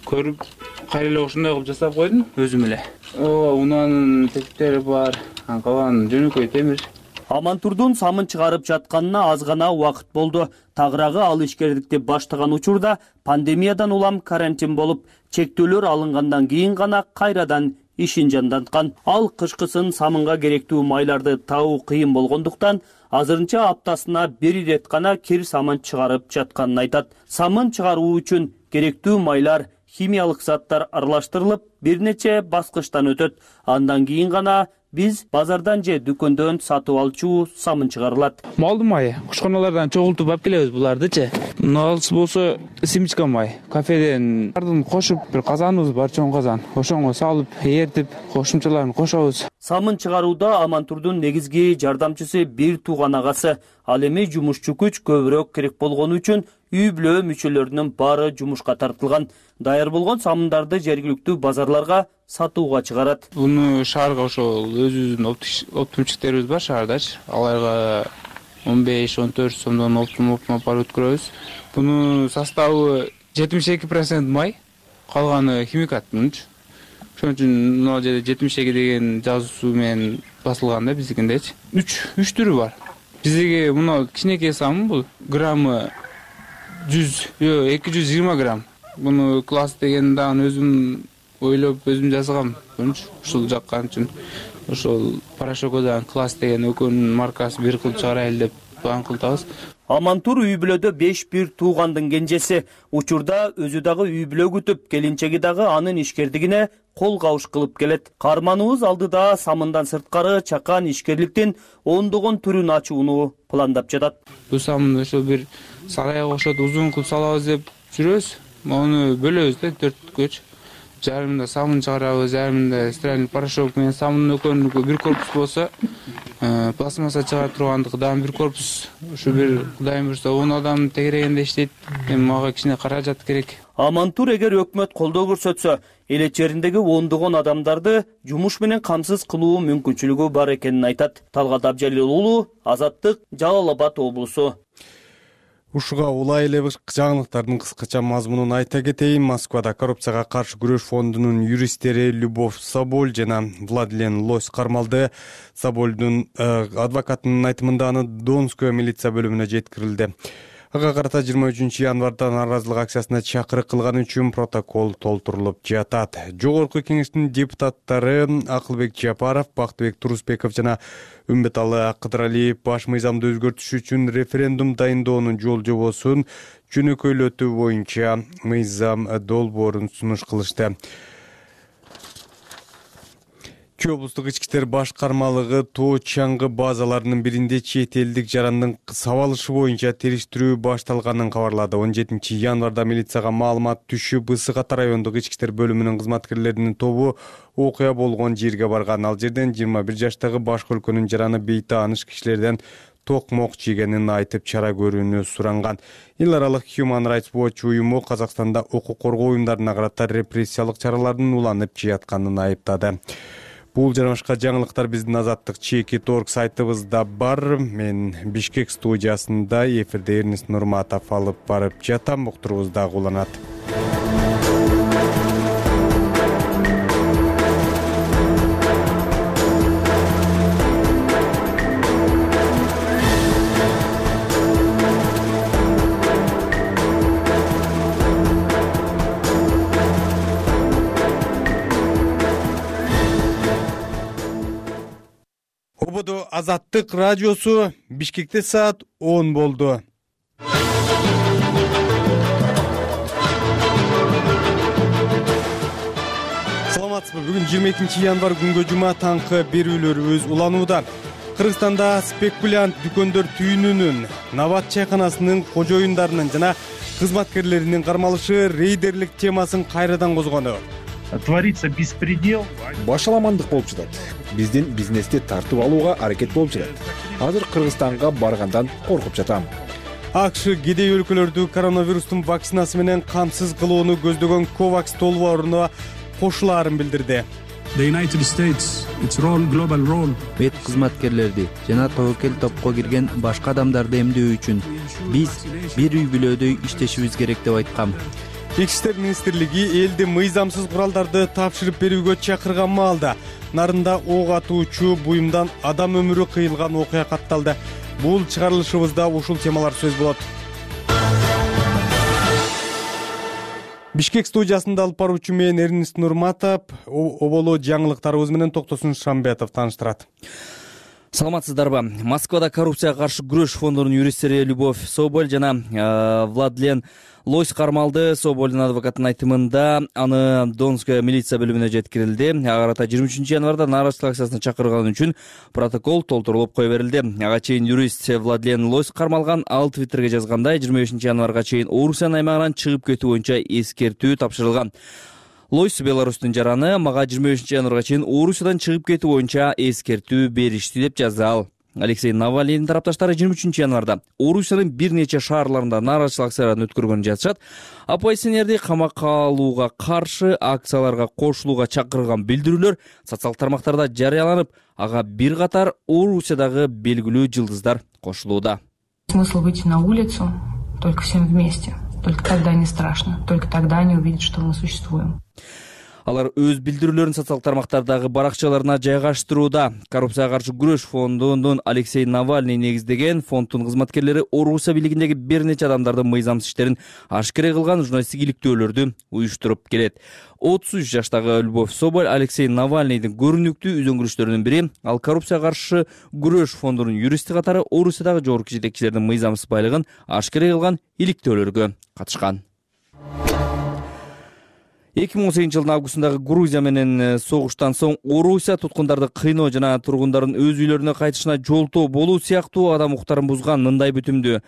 Speaker 15: көрүп, кайра эле ошондой кылып жасап койдум өзүм эле. Унаанын тетиктери бар, калган жөнөкөй темир.
Speaker 16: Амантурдун самын чыгарып жатканына аз гана убакыт болду. Тагыраагы ал ишкердикти баштаган учурда пандемиядан улам карантин болуп, чектөөлөр алынгандан кийин гана кайрадан ишин жанданткан. Ал кышкысын самынга керектүү майларды табуу кыйын болгондуктан азырынча аптасына бир ирет гана кир самын чыгарып жатканын айтат. Самын чыгаруу үчүн керектүү майлар, химиялык заттар аралаштырылып, бир нече баскычтан өтөт. Андан кийин гана биз базардан же дүкөндөн сатып алчу самын чыгарылат.
Speaker 15: Малдын майы, кушканалардан чогултуп алып келебиз булардычы. Налыс болсо симичка май. Кафеден ардын кошуп, бир казаныбыз бар, чоң казан. Ошоңго салып, эртип, кошумчаларын кошобуз.
Speaker 16: Самын чыгарууда Амантурдун негизги жардамчысы бир тууган агасы. Ал эми жумушчу күч көбүрөөк керек болгону үчүн үй бүлө мүчөлөрүнүн баары жумушка тартылган. Даяр болгон самындарды жергиликтүү базарларга сатууга чыгарат.
Speaker 15: Буну шаарга ошол өзүбүздүн оптумчиктерибиз бар шаардачы. Аларга 15-14 сомдон оптум апарып өткөрөбүз. Буну составы 72% май, калганы химикат мунчу. Ошон үчүн мына жерде 72 деген жазуусу менен басылган да биздикиндечи. 3 түрү бар. Биздики мына кичинекей самын бул. Граммы 220 грамм. Буну класс деген дагы өзүм ойлоп өзүм жасагам. Ушул жаккан үчүн ошол порошокодон класс деген экөөнүн маркасы бир кылып чыгарайлы деп план кылдыбыз.
Speaker 16: Амантур үй бүлөдө 5 бир туугандын кенжеси. Учурда өзү дагы үй бүлө күтүп, келинчеги дагы анын ишкердигине кол кабыш кылып келет. Карманыбыз алдыда самындан сырткары чакан ишкерликтин ондогон түрүн ачууну пландап жатат.
Speaker 15: Бул самынды ошол бир сарайга окшоп узун кылып салабыз деп жүрөбүз. Аны бөлөбүз да 4-көч. Жарымында самын чыгарабыз, жарымында стиральный порошок менен самындын экөөнүкү бир корпус болсо, пластмасса чыгара тургандыгы дагы бир корпус. Ушу бир Кудайым буйрса 10 адам тегерегенде иштейт. Эми мага кичине каражат керек.
Speaker 16: Амантур эгер өкмөт колдоо көрсөтсө, эл чериндеги ондогон адамдарды жумуш менен камсыз кылуу мүмкүнчүлүгү бар экенин айтат. Талгат Абжалил уулу, Азаттык, Жалал Абад облусу.
Speaker 1: Ушуга улай эле жаңылыктардын кыскача мазмунун айта кетейин. Москвада коррупцияга каршы күрөш фондунун юристтери Любовь Соболь жана Владлен Лось кармалды. Собольдун адвокатынын айтымында аны Донская милиция бөлүмүнө жеткирилди. Ага карата 23 январда нааразылык акциясына чакырык кылган үчүн протокол толтурулуп жатат. Жогорку кеңештин депутаттары Акылбек Жапаров, Бактыбек Турусбеков жана Үмбеталы Кыдыралиев баш мыйзамды өзгөртүш үчүн референдум дайындоонун жол жобосун жөнөкөйлөтүү боюнча мыйзам долбоорун сунуш кылышты. Чүй облустук ички иштер башкармалыгы тоо чаңгы базаларынын биринде чет элдик жарандын сабалышы боюнча териштирүү башталганын кабарлады. 17 январда милицияга маалымат түшүп, Ысык Ата райондук ички иштер бөлүмүнүн кызматкерлеринин тобу окуя болгон жерге барган. Ал жерден 21 жаштагы башка өлкөнүн жараны бейтааныш кишилерден токмок жегенин айтып чара көрүүнү суранган. Эл аралык Human Rights Watch уюму Казакстанда укук коргоо уюмдарына карата репрессиялык чаралардын уланып жатканын айыптады. Бул жана башка жаңылыктар биздин Азаттык Чеки.org сайтыбызда бар. Мен Бишкек студиясында эфирде Эрнест Нурматов алып барып жатам. Уктурубузда уланат. Ободо Азаттык радиосу. Бишкекте саат 10 болду. Саламатсызбы? Бүгүн 22 январь күнгө жума таңкы берүүлөрүбүз уланууда. Кыргызстанда спекулянт дүкөндөр түйүнүнүн, Набат чайканасынын кожоюндарынын жана кызматкерлеринин кармалышы рейдерлик темасын кайрадан козгону.
Speaker 17: Творится беспредел.
Speaker 18: Башаламандык болуп жатат. Биздин бизнести тартып алууга аракет болуп жатат. Азыр Кыргызстанга баргандан коркуп жатам.
Speaker 1: АКШ кедей өлкөлөрдү коронавирустун вакцинасы менен камсыз кылууну көздөгөн Ковакс долбооруна кошулаарын билдирди.
Speaker 10: Мед кызматкерлерди жана тобокел топко кирген башка адамдарды эмдөө үчүн биз бир үй бүлөдөй иштешибиз керек деп айткам.
Speaker 1: Ички иштер министрлиги элди мыйзамсыз куралдарды тапшырып берүүгө чакырган маалда Нарында ок атуучу буюмдан адам өмүрү кыйылган окуя катталды. Бул чыгарылышыбызда ушул темалар сөз болот. Бишкек студиясында алып баруучу мен Эрнест Нурматов, оболо жаңылыктарыбыз менен Токтосун Шамбетов тааныштырат.
Speaker 3: Саламатсыздарбы? Москвада коррупцияга каршы күрөш фондунун юристтери Любовь Соболь жана Владлен Лось кармалды. Собольдун адвокатынын айтымында аны Донская милиция бөлүмүнө жеткирилди. Ага карата 23 январда нарочылык акциясына чакырган үчүн протокол толтурулуп кое берилди. Ага чейин юрист Владлен Лось кармалган. Ал Твиттерге жазгандай 25 январга чейин Орусиянын аймагынан чыгып кетүү боюнча эскертүү тапшырылган. Лойс Беларустун жараны мага 25 январга чейин Орусиядан чыгып кетүү боюнча эскертүү беришти деп жазды ал. Алексей Навальныйдын тарапташтары 23 январда Орусиянын бир нече шаарларында нарочылык акцияларын өткөргөнүн жазышат. Оппозиционерди камакка алууга каршы акцияларга кошулууга чакырган билдирүүлөр социалдык тармактарда жарыяланып, ага бир катар Орусиядагы белгилүү жылдыздар кошулууда.
Speaker 19: Смысл выйти на улицу только всем вместе. Только тогда не страшно. Только тогда они увидят, что мы существуем.
Speaker 3: Алар өз билдирүүлөрүн социалдык тармактардагы баракчаларына жайгаштырууда. Коррупцияга каршы күрөш фондунун Алексей Навальный негиздеген фонддун кызматкерлери Орусия бийлигиндеги бир нече адамдардын мыйзамсыз иштерин ашкере кылган журналисттик иликтөөлөрдү уюштуруп келет. 33 жаштагы Любовь Соболь Алексей Навальныйдын көрүнүктүү үзөңгүрүштөрүнүн бири. Ал коррупцияга каршы күрөш фондунун юристи катары Орусиядагы жогорку жетекчилердин мыйзамсыз байлыгын ашкере кылган иликтөөлөргө катышкан. 2018 жылдын августундагы Грузия менен согуштан соң Орусия туткундарды кыйноо жана тургундардын өз үйлөрүнө кайтышына жолтоо болуу сыяктуу адам укуктарын бузган мындай бүтүмдү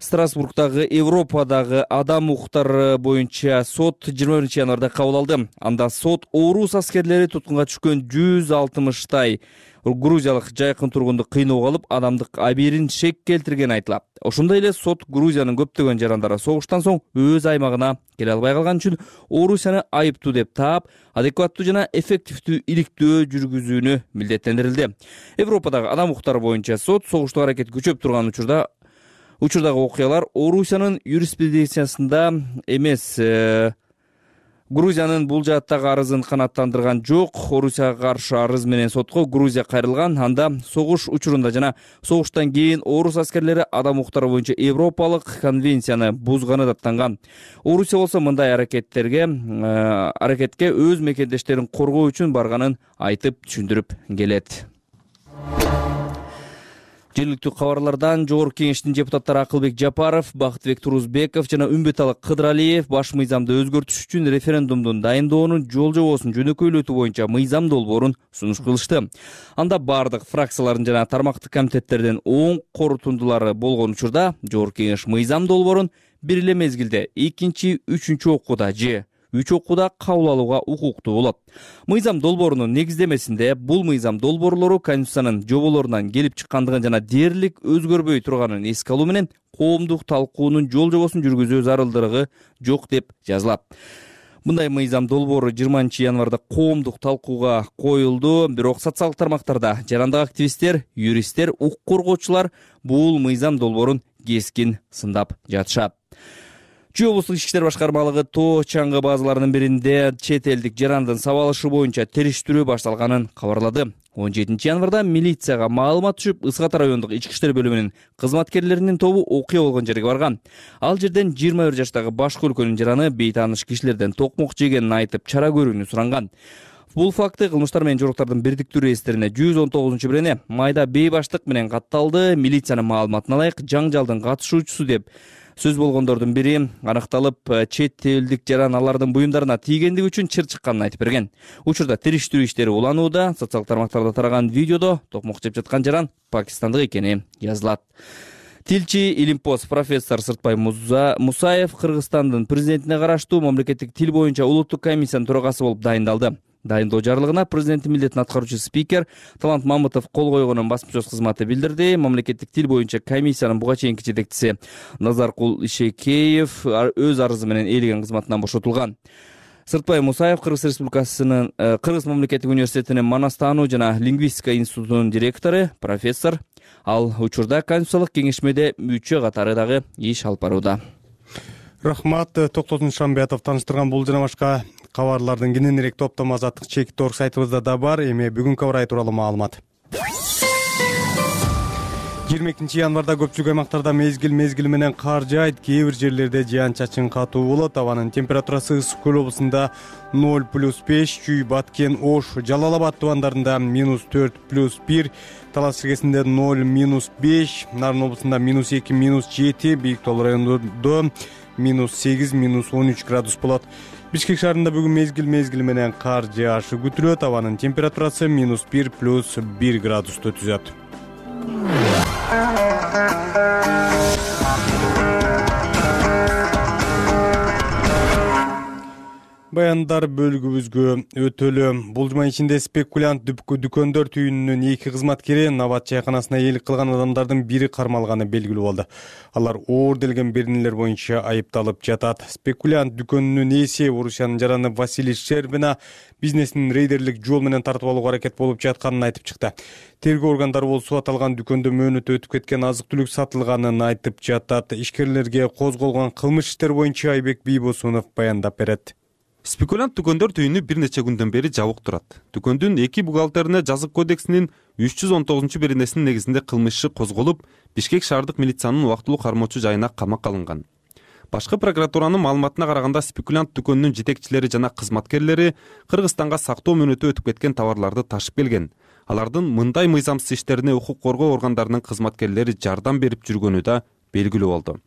Speaker 3: Страсбургдагы Европадагы адам укуктары боюнча сот 21 январда кабыл алды. Анда сот орус аскерлери туткунга түшкөн 160 грузиялык жайкын тургунду кыйноого алып, адамдык абийирин шек келтиргени айтылат. Ошондой эле сот Грузиянын көптөгөн жарандары согуштан соң өз аймагына келе албай калган үчүн Орусияны айыптуу деп таап, адекваттуу жана эффективдүү иликтөө жүргүзүүнү милдеттендирилди. Европадагы адам укуктары боюнча сот согуштук аракет күчөп турган учурдагы окуялар Орусиянын юриспруденциясында эмес, Грузиянын бул жааттагы арызын канааттандырган жок. Орусияга каршы арыз менен сотко Грузия кайрылган. Анда согуш учурунда жана согуштан кийин орус аскерлери адам укуктары боюнча Европалык конвенцияны бузганы даттанган. Орусия болсо мындай аракетке өз мекендештерин коргоо үчүн барганын айтып түшүндүрүп келет. Жергиликтүү кабарлардан жогорку кеңештин депутаттары Акылбек Жапаров, Бактыбек Турузбеков жана Үмбеталы Кыдыралиев баш мыйзамды өзгөртүш үчүн референдумдун дайындоонун жол жобосун жөнөкөйлөтүү боюнча мыйзам долбоорун сунуш кылышты. Анда бардык фракциялардын жана тармактык комитеттердин оң корутундулары болгон учурда жогорку кеңеш мыйзам долбоорун бир эле мезгилде 2-3 окууда же 3 окууда кабыл алууга укуктуу болот. Мыйзам долбоорунун негиздемесинде бул мыйзам долбоорлору Конституциянын жоболорунан келип чыккандыгын жана дээрлик өзгөрбөй турганын эске алуу менен коомдук талкуунун жол жобосун жүргүзүү зарылдыгы жок деп жазылат. Мындай мыйзам долбоору 20 январда коомдук талкууга коюлду, бирок социалдык тармактарда жарандык активисттер, юристтер, укук коргоочулар бул мыйзам долбоорун кескин сындап жатышат. Чүй облустук ички иштер башкармалыгы тоо чаңгы базаларынын биринде чет элдик жарандын сабалышы боюнча териштирүү башталганын кабарлады. 17 январда милицияга маалымат түшүп, Ысык Ата райондук ички иштер бөлүмүнүн кызматкерлеринин тобу окуя болгон жерге барган. Ал жерден 21 жаштагы башкы өлкөнүн жараны бейтааныш кишилерден токмок жегенин айтып, чара көрүүнү суранган. Бул факты кылмыштар менен жоруктардын бирдиктүү реестрине 119-бирене майда бейбаштык менен катталды. Милициянын маалыматына ылайык жаңжалдын катышуучусу деп сөз болгондордун бири аныкталып, чет элдик жаран алардын буюмдарына тийгендиги үчүн чыр чыкканын айтып берген. Учурда териштирүү иштери уланууда. Социалдык тармактарда тараган видеодо токмок жеп жаткан жаран пакистандык экени жазылат. Тилчи Илимпоз профессор Сыртбай Мусаев Кыргызстандын президентине караштуу мамлекеттик тил боюнча улуттук комиссиянын төрагасы болуп дайындалды. Дайындоо жарлыгына президенттин милдетин аткаруучу спикер Талант Мамытов кол койгонун басма сөз кызматы билдирди. Мамлекеттик тил боюнча комиссиянын буга чейинки жетекчиси Назаркул Ишекеев өз арызы менен ээлеген кызматынан бошотулган. Сыртбай Мусаев Кыргыз мамлекеттик университетинин Манастануу жана лингвистика институтунун директору, профессор. Ал учурда Конституциялык кеңешмеде мүчө катары дагы иш алып барууда.
Speaker 1: Рахмат. Токтосун Шамбиятов таныштырган бул жана башка кабарлардын кененирээк топтому Азаттык чек.org сайтыбызда да бар. Эми бүгүнкү абар тууралуу маалымат. 22 январда көпчүлүк аймактарда мезгил менен кар жаайт, кээ бир жерлерде жаан-чачын катуу болот. Абанын температурасы Ысык көл облусунда 0+5, Чүй, Баткен, Ош, Жалал Абад тубандарында -4+1, Талас чергесинде 0-5, Нарын облусунда -2, -7, Бийик Тол районунда -8, -13 градус болот. Бишкек шаарында бүгүн мезгил менен кар жаашы күтүлөт. Абанын температурасы -1+1 градусту түзөт. Баяндар бөлүгүбүзгө өтөлү. Бул жума ичинде спекулянт дүкөндөр түйүнүнүн 2 кызматкери Набат чайканасына ээлик кылган адамдардын бири кармалганы белгилүү болду. Алар оор делген беренелер боюнча айыпталып жатат. Спекулянт дүкөнүнүн ээси Орусиянын жараны Василий Щербина бизнесин рейдерлик жол менен тартып алууга аракет болуп жатканын айтып чыкты. Тергөө органдары болсо аталган дүкөндө мөөнөтү өтүп кеткен азык-түлүк сатылганын айтып жатат. Ишкерлерге козголгон кылмыш иштер боюнча Айбек Бийбосунов баяндап берет.
Speaker 20: Спекулянт дүкөндөр түйүнү бир нече күндөн бери жабык турат. Дүкөндүн 2 бухгалтерине жазык кодексинин 319-беренесинин негизинде кылмыш иши козголуп, Бишкек шаардык милициянын убактылуу кармоочу жайына камакка алынган. Башкы прокуратуранын маалыматына караганда спекулянт дүкөнүнүн жетекчилери жана кызматкерлери Кыргызстанга сактоо мөөнөтү өтүп кеткен товарларды ташып келген. Алардын мындай мыйзамсыз иштерине укук коргоо органдарынын кызматкерлери жардам берип жүргөнү да белгилүү болду.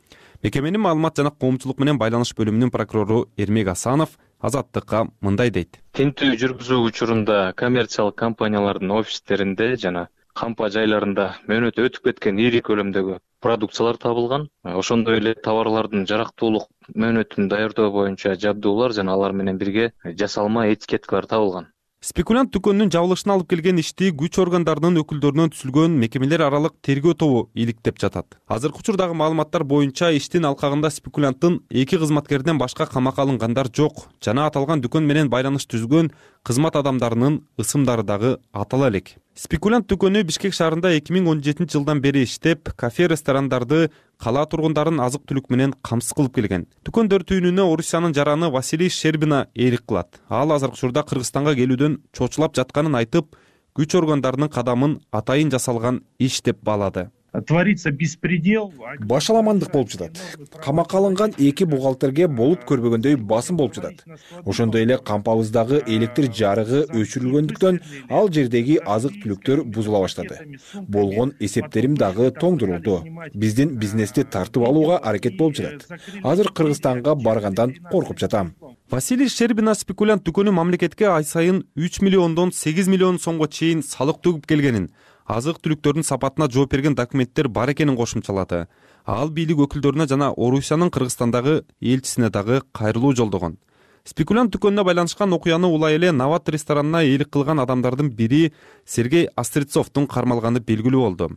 Speaker 20: Мекеменин маалымат жана коомчулук менен байланыш бөлүмүнүн прокурору Эрмек Асанов Азаттыкка мындай дейт.
Speaker 21: Тинтүү жүргүзүү учурунда коммерциялык компаниялардын офистеринде жана кампа жайларында мөөнөтү өтүп кеткен ири көлөмдөгү продукциялар табылган. Ошондой эле товарлардын жарактуулук мөөнөтүн даярдоо боюнча жабдуулар жана алар менен бирге жасалма этикеткалар табылган.
Speaker 20: Спекулянт дүкөнүнүн жабылышына алып келген ишти күч органдарынын өкүлдөрүнөн түзүлгөн мекемелер аралык тергөө тобу иликтеп жатат. Азыркы учурдагы маалыматтар боюнча иштин алкагында спекулянттын 2 кызматкеринен башка камакка алынгандар жок жана аталган дүкөн менен байланыш түзгөн кызмат адамдарынын ысымдары дагы атала элек. Спекулянт дүкөнү Бишкек шаарында 2017 жылдан бери иштеп, кафе, ресторандарды кала тургундарын азык-түлүк менен камсыз кылып келген. Дүкөндөр түйүнүнө Орусиянын жараны Василий Щербина ээлик кылат. Ал азыркы учурда Кыргызстанга келүүдөн чочулап жатканын айтып, күч органдарынын кадамын атайын жасалган иш деп баалады.
Speaker 17: Творится беспредел.
Speaker 18: Башаламандык болуп жатат. Камакка алынган 2 бухгалтерге болуп көрбөгөндөй басым болуп жатат. Ошондой эле кампабыздагы электр жарыгы өчүрүлгөндүктөн ал жердеги азык-түлүктөр бузула баштады. Болгон эсептерим дагы тоңдурулду. Биздин бизнести тартып алууга аракет болуп жатат. Азыр Кыргызстанга баргандан коркуп жатам.
Speaker 20: Василий Щербина спекулянт дүкөнү мамлекетке ай сайын 3 миллиондон 8 миллион сомго чейин салык төгүп келгенин, азык-түлүктөрдүн сапатына жооп берген документтер бар экенин кошумчалады. Ал бийлик өкүлдөрүнө жана Орусиянын Кыргызстандагы элчисине дагы кайрылуу жолдогон. Спекулянт дүкөнүнө байланышкан окуяны улай эле Нават ресторанына ээлик кылган адамдардын бири Сергей Острецовдун кармалганы белгилүү болду.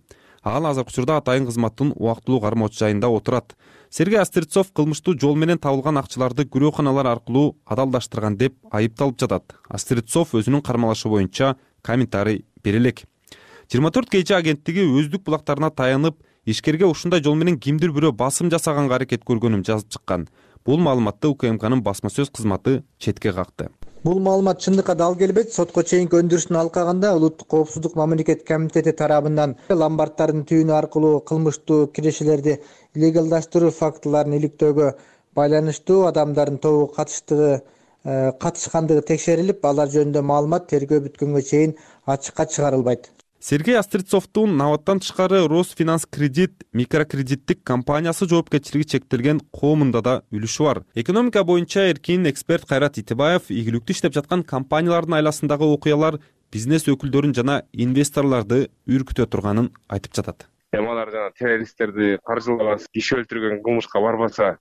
Speaker 20: Ал азыркы учурда атайын кызматтын убактылуу кармоочу жайында отурат. Сергей Острецов кылмыштуу жол менен табылган акчаларды күрөөканалар аркылуу адалдаштырган деп айыпталып жатат. Острецов өзүнүн кармалашы боюнча комментарий бере элек. 24 кече агенттиги өздүк булактарына таянып, ишкерге ушундай жол менен кимдир бирөө басым жасаганга аракет көргөнүн жазып чыккан. Бул маалыматты УКМКнын басма сөз кызматы четке какты.
Speaker 22: Бул маалымат чындыкка дал келбейт. Сотко чейинки өндүрүштүн алкагында Улуттук коопсуздук мамлекеттик комитети тарабынан ломбарддардын түйүнү аркылуу кылмыштуу кирешелерди легалдаштыруу фактыларын иликтөөгө байланыштуу адамдардын тобу катыштыгы катышкандыгы текшерилип, алар жөнүндө маалымат тергөө бүткөнгө чейин ачыкка чыгарылбайт.
Speaker 20: Сергей Острецовдун наваттан тышкары Росфинанскредит микрокредиттик компаниясы жоопкерчилиги чектелген коомунда да үлүшү бар. Экономика боюнча эркин эксперт Кайрат Итибаев ийгиликтүү иштеп жаткан компаниялардын айласындагы окуялар бизнес өкүлдөрүн жана инвесторлорду үркүтө турганын айтып жатат.
Speaker 2: Алар жана террористтерди каржылабас, киши өлтүргөн кылмышка барбаса,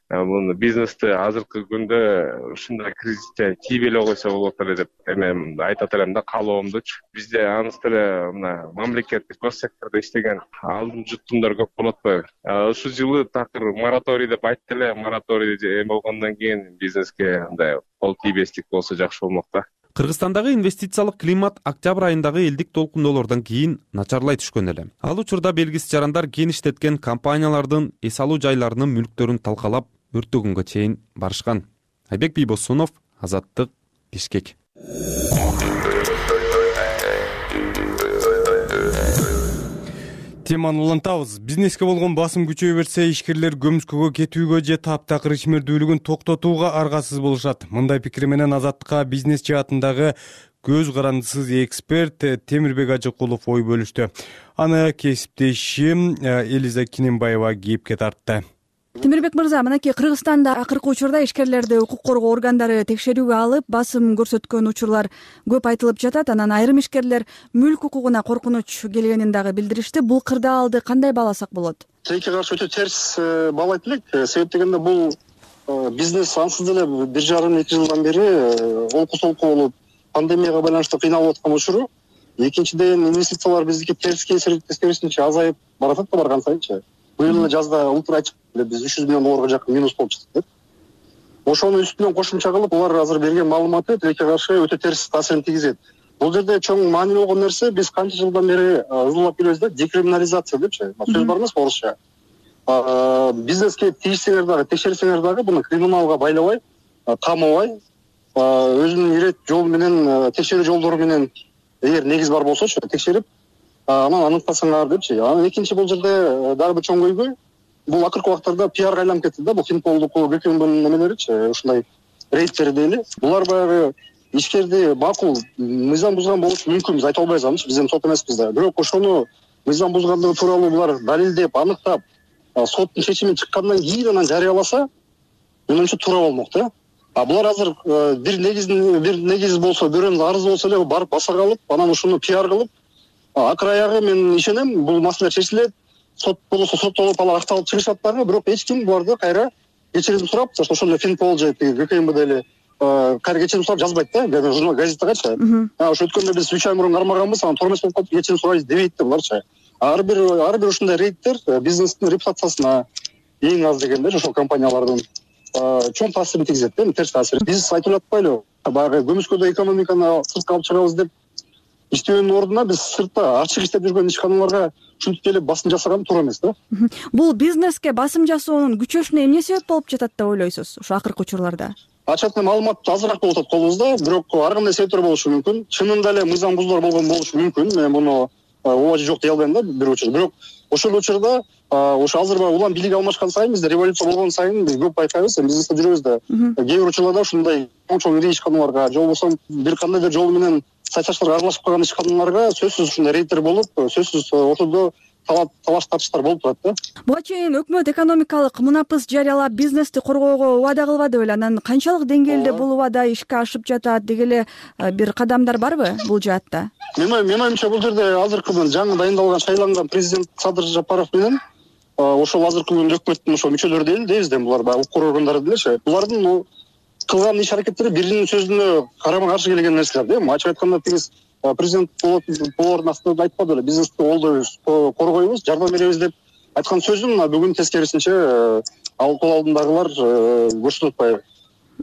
Speaker 2: муну бизнести азыркы күндө ушундай кризисте тийбей эле койсо болот эле деп эми айтат элем да, каалоомдучу. Бизде анысы деле мына мамлекеттик гос сектордо иштеген алдын жуттумдар көп болот атпайбы? Ушул жылы такыр мораторий деп айтты эле, мораторий эми болгондон кийин бизнеске мындай кол тийбестик болсо жакшы болмок да.
Speaker 20: Кыргызстандагы инвестициялык климат октябрь айындагы элдик толкундоолордон кийин начарлай түшкөн эле. Ал учурда белгисиз жарандар кен иштеткен компаниялардын эс алуу жайларынын мүлктөрүн талкалап, өрттөгөнгө чейин барышкан. Айбек Бийбосунов, Азаттык, Бишкек.
Speaker 1: Теманы улантабыз. Бизнеске болгон басым күчөй берсе, ишкерлер көмүскөгө кетүүгө же таптакыр ишмердүүлүгүн токтотууга аргасыз болушат. Мындай пикир менен Азаттыкка бизнес жаатындагы көз карандысыз эксперт Темирбек Ажыкулов ой бөлүштү. Аны кесиптешим Элиза Кинембаева кийипке тартты.
Speaker 6: Темирбек мырза, мынакей Кыргызстанда акыркы учурда ишкерлерди укук коргоо органдары текшерүүгө алып, басым көрсөткөн учурлар көп айтылып жатат. Анан айрым ишкерлер мүлк укугуна коркунуч келгенин дагы билдиришти. Бул кырдаалды кандай бааласак болот?
Speaker 4: Тилекке каршы өтө терс баалайт элек. Себеп дегенде бул бизнес ансыз деле 1,5-2 жылдан бери олку-солку болуп, пандемияга байланыштуу кыйналып аткан учуру. Экинчиден, инвестициялар биздики тескерисинче азайып баратат да барган сайынчы. Быйыл жазда ултура ачык биз 300 миллион долларга жакын минус болуп чыктык деп. Ошонун үстүнөн кошумча кылып, улар азыр берген маалыматы тилекке каршы өтө терс таасирин тийгизет. Бул жерде чоң маани болгон нерсе, биз канча жылдан бери ызуулап келебиз да, декриминализация депчи. Сөз бар эмес орусча. Бизнеске тийишсеңер дагы, текшерсеңер дагы буну криминалга байлабай, камабай, өзүнүн ирет жол менен, текшерүү жолдору менен эгер негиз бар болсочу, текшерип, анан аныктасаңар депчи. Анан экинчи бул жерде дагы бир чоң көйгөй, бул акыркы убактарда пиарга айланып кетти да, бул Финполдуку, ГКМБнын немелеричи, ушундай рейдтер дейли. Булар баягы ишкерди макул мыйзам бузган болушу мүмкүн, биз айта албайбыз анычы, биз эми сот эмеспиз да. Бирок ошону мыйзам бузгандыгы тууралуу булар далилдеп, аныктап, соттун чечими чыккандан кийин анан жарыяласа, менимче туура болмок да. Булар азыр бир негиз болсо, бирөөнүн арызы болсо эле барып баса калып, анан ушуну пиар кылып, акыр аягы мен ишенем, бул маселе чечилет. Сот болсо соттолуп алар акталып чыгышат дагы, бирок эч ким буларды кайра кечирим сурап, ошондой Финпол же ГКМБ деле кайра кечирим сурап жазбайт да, журнал газеттагачы. Ошо өткөндө биз 3 ай мурун кармаганбыз, анан тормоз болуп калып кечирим сурайбыз дебейт да буларчы. Ар бир ушундай рейдтер бизнестин репутациясына эң аз дегенде ошол компаниялардын чоң таасирин тийгизет да, терс таасир. Биз айтып атпайлыбы, баягы көмүскөдө экономиканы сыртка алып чыгабыз деп иштөөнүн ордуна биз сыртта ачык иштеп жүргөн ишканаларга ушинтип келип басым жасаган туура эмес да.
Speaker 6: Бул бизнеске басым жасоонун күчөшүнө эмне себеп болуп жатат деп ойлойсуз ошо акыркы учурларда?
Speaker 4: Ачык маалымат азыраак болуп атат колубузда, бирок ар кандай себептер болушу мүмкүн. Чынында эле мыйзам бузуулар болгон болушу мүмкүн. Мен муну ооба же жок дей албайм да бир учур. Бирок ошол учурда ошо азыр улам бийлик алмашкан сайын, бизде революция болгон сайын биз көп байкайбыз, бизнесте жүрөбүз да. Кээ бир учурларда ушундай чоң ири ишканаларга, же болбосо бир кандайдыр жол менен сайташтарга аралашып калган ишканаларга сөзсүз ушундай рейдтер болуп, сөзсүз ортодо талаш тартыштар болуп турат да.
Speaker 6: Буга чейин өкмөт экономикалык мунапыс жарыялап бизнести коргоого убада кылбады беле? Анан канчалык деңгээлде бул убада ишке ашып жатат, деги эле бир кадамдар барбы бул жаатта?
Speaker 4: Мен оюмча бул жерде азыркы жаңы дайындалган, шайланган президент Садыр Жапаров менен ошол азыркы күндө өкмөттүн ошо мүчөлөрү дейбиз да, булар баягы укук органдары делечи. Булардын кылган иш аракеттери биринин сөзүнө карама каршы келген нерселер да. Ачык айтканда тигиз президент болоордун астында айтпады эле, бизнести колдойбуз, коргойбуз, жардам беребиз деп айткан сөзүн бүгүн тескерисинче кол алдындагылар көрсөтүп атпайбы.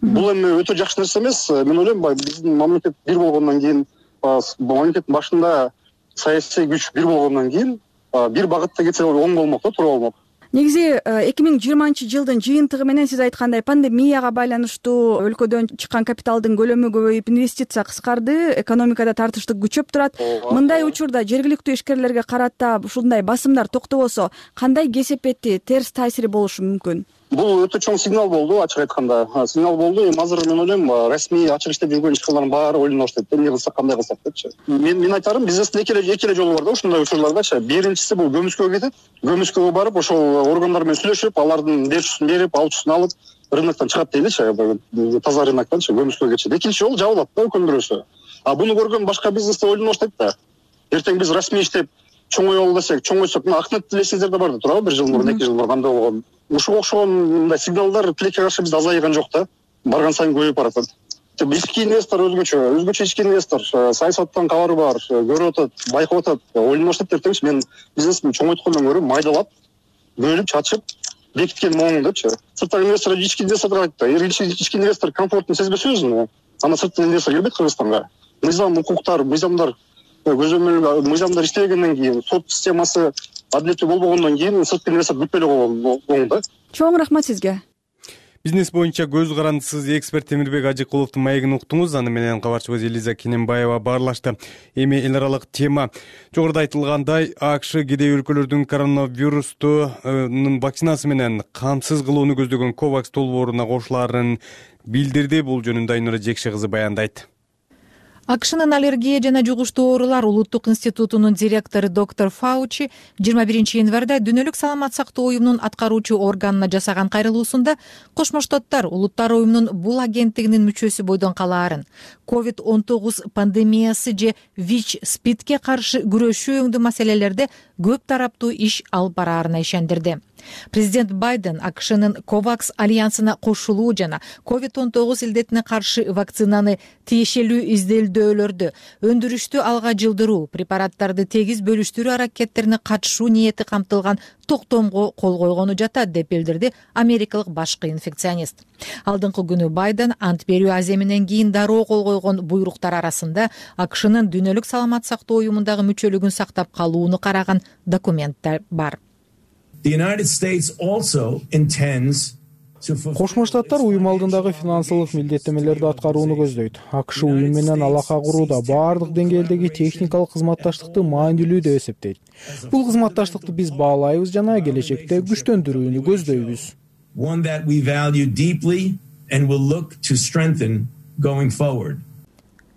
Speaker 4: Бул эми өтө жакшы нерсе эмес. Мен ойлойм, биздин мамлекет бир болгондон кийин, мамлекеттин башында саясий күч бир болгондон кийин бир багытта кетсе оң болмок да, туура болмок.
Speaker 6: Негизи 2020-жылдын жыйынтыгы менен сиз айткандай пандемияга байланыштуу өлкөдөн чыккан капиталдын көлөмү көбөйүп, инвестиция кыскарды, экономикада тартыштык күчөп турат. Мындай учурда жергиликтүү ишкерлерге карата ушундай басымдар токтобосо, кандай кесепети, терс таасири болушу мүмкүн?
Speaker 4: Бул өтө чоң сигнал болду, ачык айтканда. Сигнал болду. Эми азыр мен ойлойм, расмий ачык иштеп жүргөн ишканалардын баары ойлоно баштайт. Эмне кылсак, кандай кылсак депчи. Мен айтарым, бизнестин эки эле жолу бар да ушундай учурлардачы. Биринчиси бул көмүскөгө кетет. Көмүскөгө барып, ошол органдар менен сүйлөшүп, алардын берүүсүн берип, алуучусун алып, рыноктон чыгат дейличи, таза рыноктончу көмүскөгө кетет. Экинчи жол жабылат да үлкөн бирөөсү. Буну көргөн башка бизнесте ойлоно баштайт да. Эртең биз расмий иштеп чоңоелу десек, чоңойсок, Акнет эсиңиздерде бар да турабы, 1 жыл мурун, 2 жыл мурун кандай болгон. Ушуга окшогон мындай сигналдар тилекке каршы бизде азайган жок да. Барган сайын көбөйүп баратат. Ички инвестор өзгөчө ички инвестор, саясаттан кабары бар, көрүп атат, байкап атат, ойлоно баштайт эртеңчи мен бизнести чоңойткондон көрө майдалап, бөлүп, чачып, бекиткен моң депчи. Сырттагы инвестор ички инвесторго айтты. Ички инвестор комфортун сезбесе өзүн, ана сырттан инвестор келбейт Кыргызстанга. Мыйзам, укуктар, мыйзамдар көзөмөл мыйзамдар иштебегенден кийин, сот системасы адилеттүү болбогондон кийин сырткы инвестор бүтпөй эле койгон оң да.
Speaker 6: Чоң рахмат сизге.
Speaker 1: Бизнес боюнча көз карандысыз эксперт Темирбек Ажыкуловдун маегин уктуңуз. Аны менен кабарчыбыз Элиза Кененбаева баарлашты. Эми эл аралык тема. Жогоруда айтылгандай, АКШ кедей өлкөлөрдүн коронавирустун вакцинасы менен камсыз кылууну көздөгөн COVAX долбооруна кошулаарын билдирди. Бул жөнүндө Айнура Жекше кызы баяндайт.
Speaker 7: АКШнын аллергия жана жугуштуу оорулар улуттук институтунун директору доктор Фаучи 21 январда Дүйнөлүк саламат сактоо уюмунун аткаруучу органына жасаган кайрылуусунда Кошмо Штаттар улуттар уюмунун бул агенттигинин мүчөсү бойдон калаарын, COVID-19 пандемиясы же ВИЧ-СПИДке каршы күрөшүү өңдүү маселелерде көп тараптуу иш алып бараарына ишендирди. Президент Байден АКШнын COVAX альянсына кошулуу жана COVID-19 илдетине каршы вакцинаны тиешелүү изделдөөлөрдү өндүрүштү алга жылдыруу, препараттарды тегиз бөлүштүрүү аракеттерине катышуу ниети камтылган токтомго кол койгону жатат деп билдирди америкалык башкы инфекционист. Алдыңкы күнү Байден ант берүү аземинен кийин дароо кол койгон буйруктар арасында АКШнын Дүйнөлүк саламат сактоо уюмундагы мүчөлүгүн сактап калууну караган документтер бар.
Speaker 8: Кошмо Штаттар уюм алдындагы финансылык милдеттенмелерди аткарууну көздөйт. АКШ уюм менен алака курууда баардык деңгээлдеги техникалык кызматташтыкты маанилүү деп эсептейт. Бул кызматташтыкты биз баалайбыз жана келечекте күчтөндүрүүнү көздөйбүз.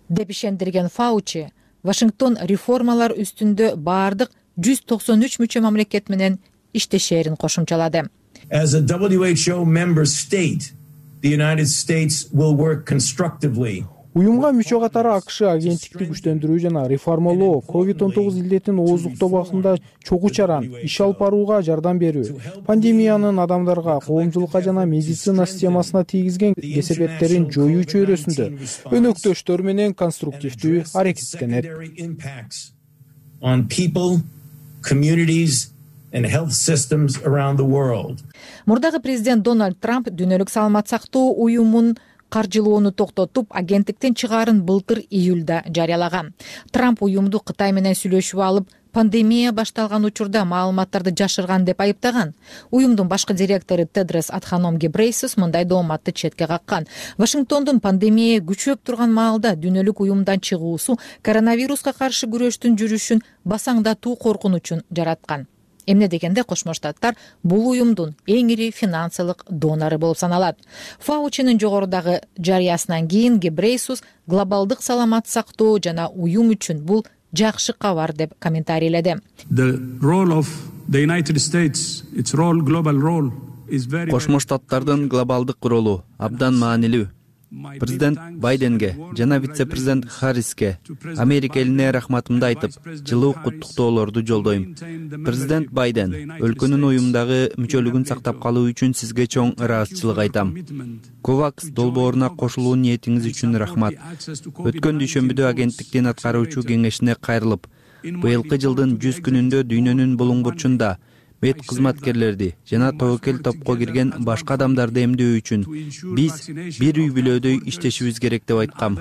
Speaker 7: Деп ишендирген Фаучи, Вашингтон реформалар үстүндө баардык 193 мүчө мамлекет менен иштешерин кошумчалады.
Speaker 23: As a WHO member state, the United States will work constructively.
Speaker 8: Уюмга мүчө катары АКШ агенттикти күчтөндүрүү жана реформалоо, COVID-19 илдетин ооздуктоо убагында чогуу чаран иш алып барууга жардам берүү, пандемиянын адамдарга, коомчулукка жана медицина системасына тийгизген кесепеттерин жоюу чөйрөсүндө өнөктөштөр менен конструктивдүү аракеттенет.
Speaker 23: On people, communities and health systems around the world.
Speaker 7: Мурдагы президент Дональд Трамп Дүйнөлүк саламат сактоо уюмун каржылоону токтотуп, агенттиктен чыгаарын былтыр июлда жарыялаган. Трамп уюмду Кытай менен сүйлөшүп алып, пандемия башталган учурда маалыматтарды жашырган деп айыптаган. Уюмдун башкы директору Тедрос Адханом Гебрейсус мындай дооматты четке каккан. Вашингтондун пандемия күчөп турган маалда дүйнөлүк уюмдан чыгуусу коронавируска каршы күрөштүн жүрүшүн басаңдатуу коркунучун жараткан. Эмне дегенде Кошмо Штаттар бул уюмдун эң ири финансылык донору болуп саналат. Фаучинин жогорудагы жарыясынан кийин Гебрейсус глобалдык саламат сактоо жана уюм үчүн бул жакшы кабар деп комментарийледи.
Speaker 10: Кошмо Штаттардын глобалдык ролу абдан маанилүү. Президент Байденге жана вице-президент Харриске Америка элине рахматымды айтып, жылуу куттуктоолорду жолдойм. Президент Байден, өлкөнүн уюмдагы мүчөлүгүн сактап калуу үчүн сизге чоң ыраазычылык айтам. COVAX долбооруна кошулуу ниетиңиз үчүн рахмат. Өткөн дүйшөмбүдө агенттиктин аткаруучу кеңешине кайрылып, быйылкы жылдын 100 күнүндө дүйнөнүн булуң бурчунда мед кызматкерлерди жана тобокел топко кирген башка адамдарды эмдөө үчүн биз бир үй бүлөдөй иштешибиз керек деп айткам.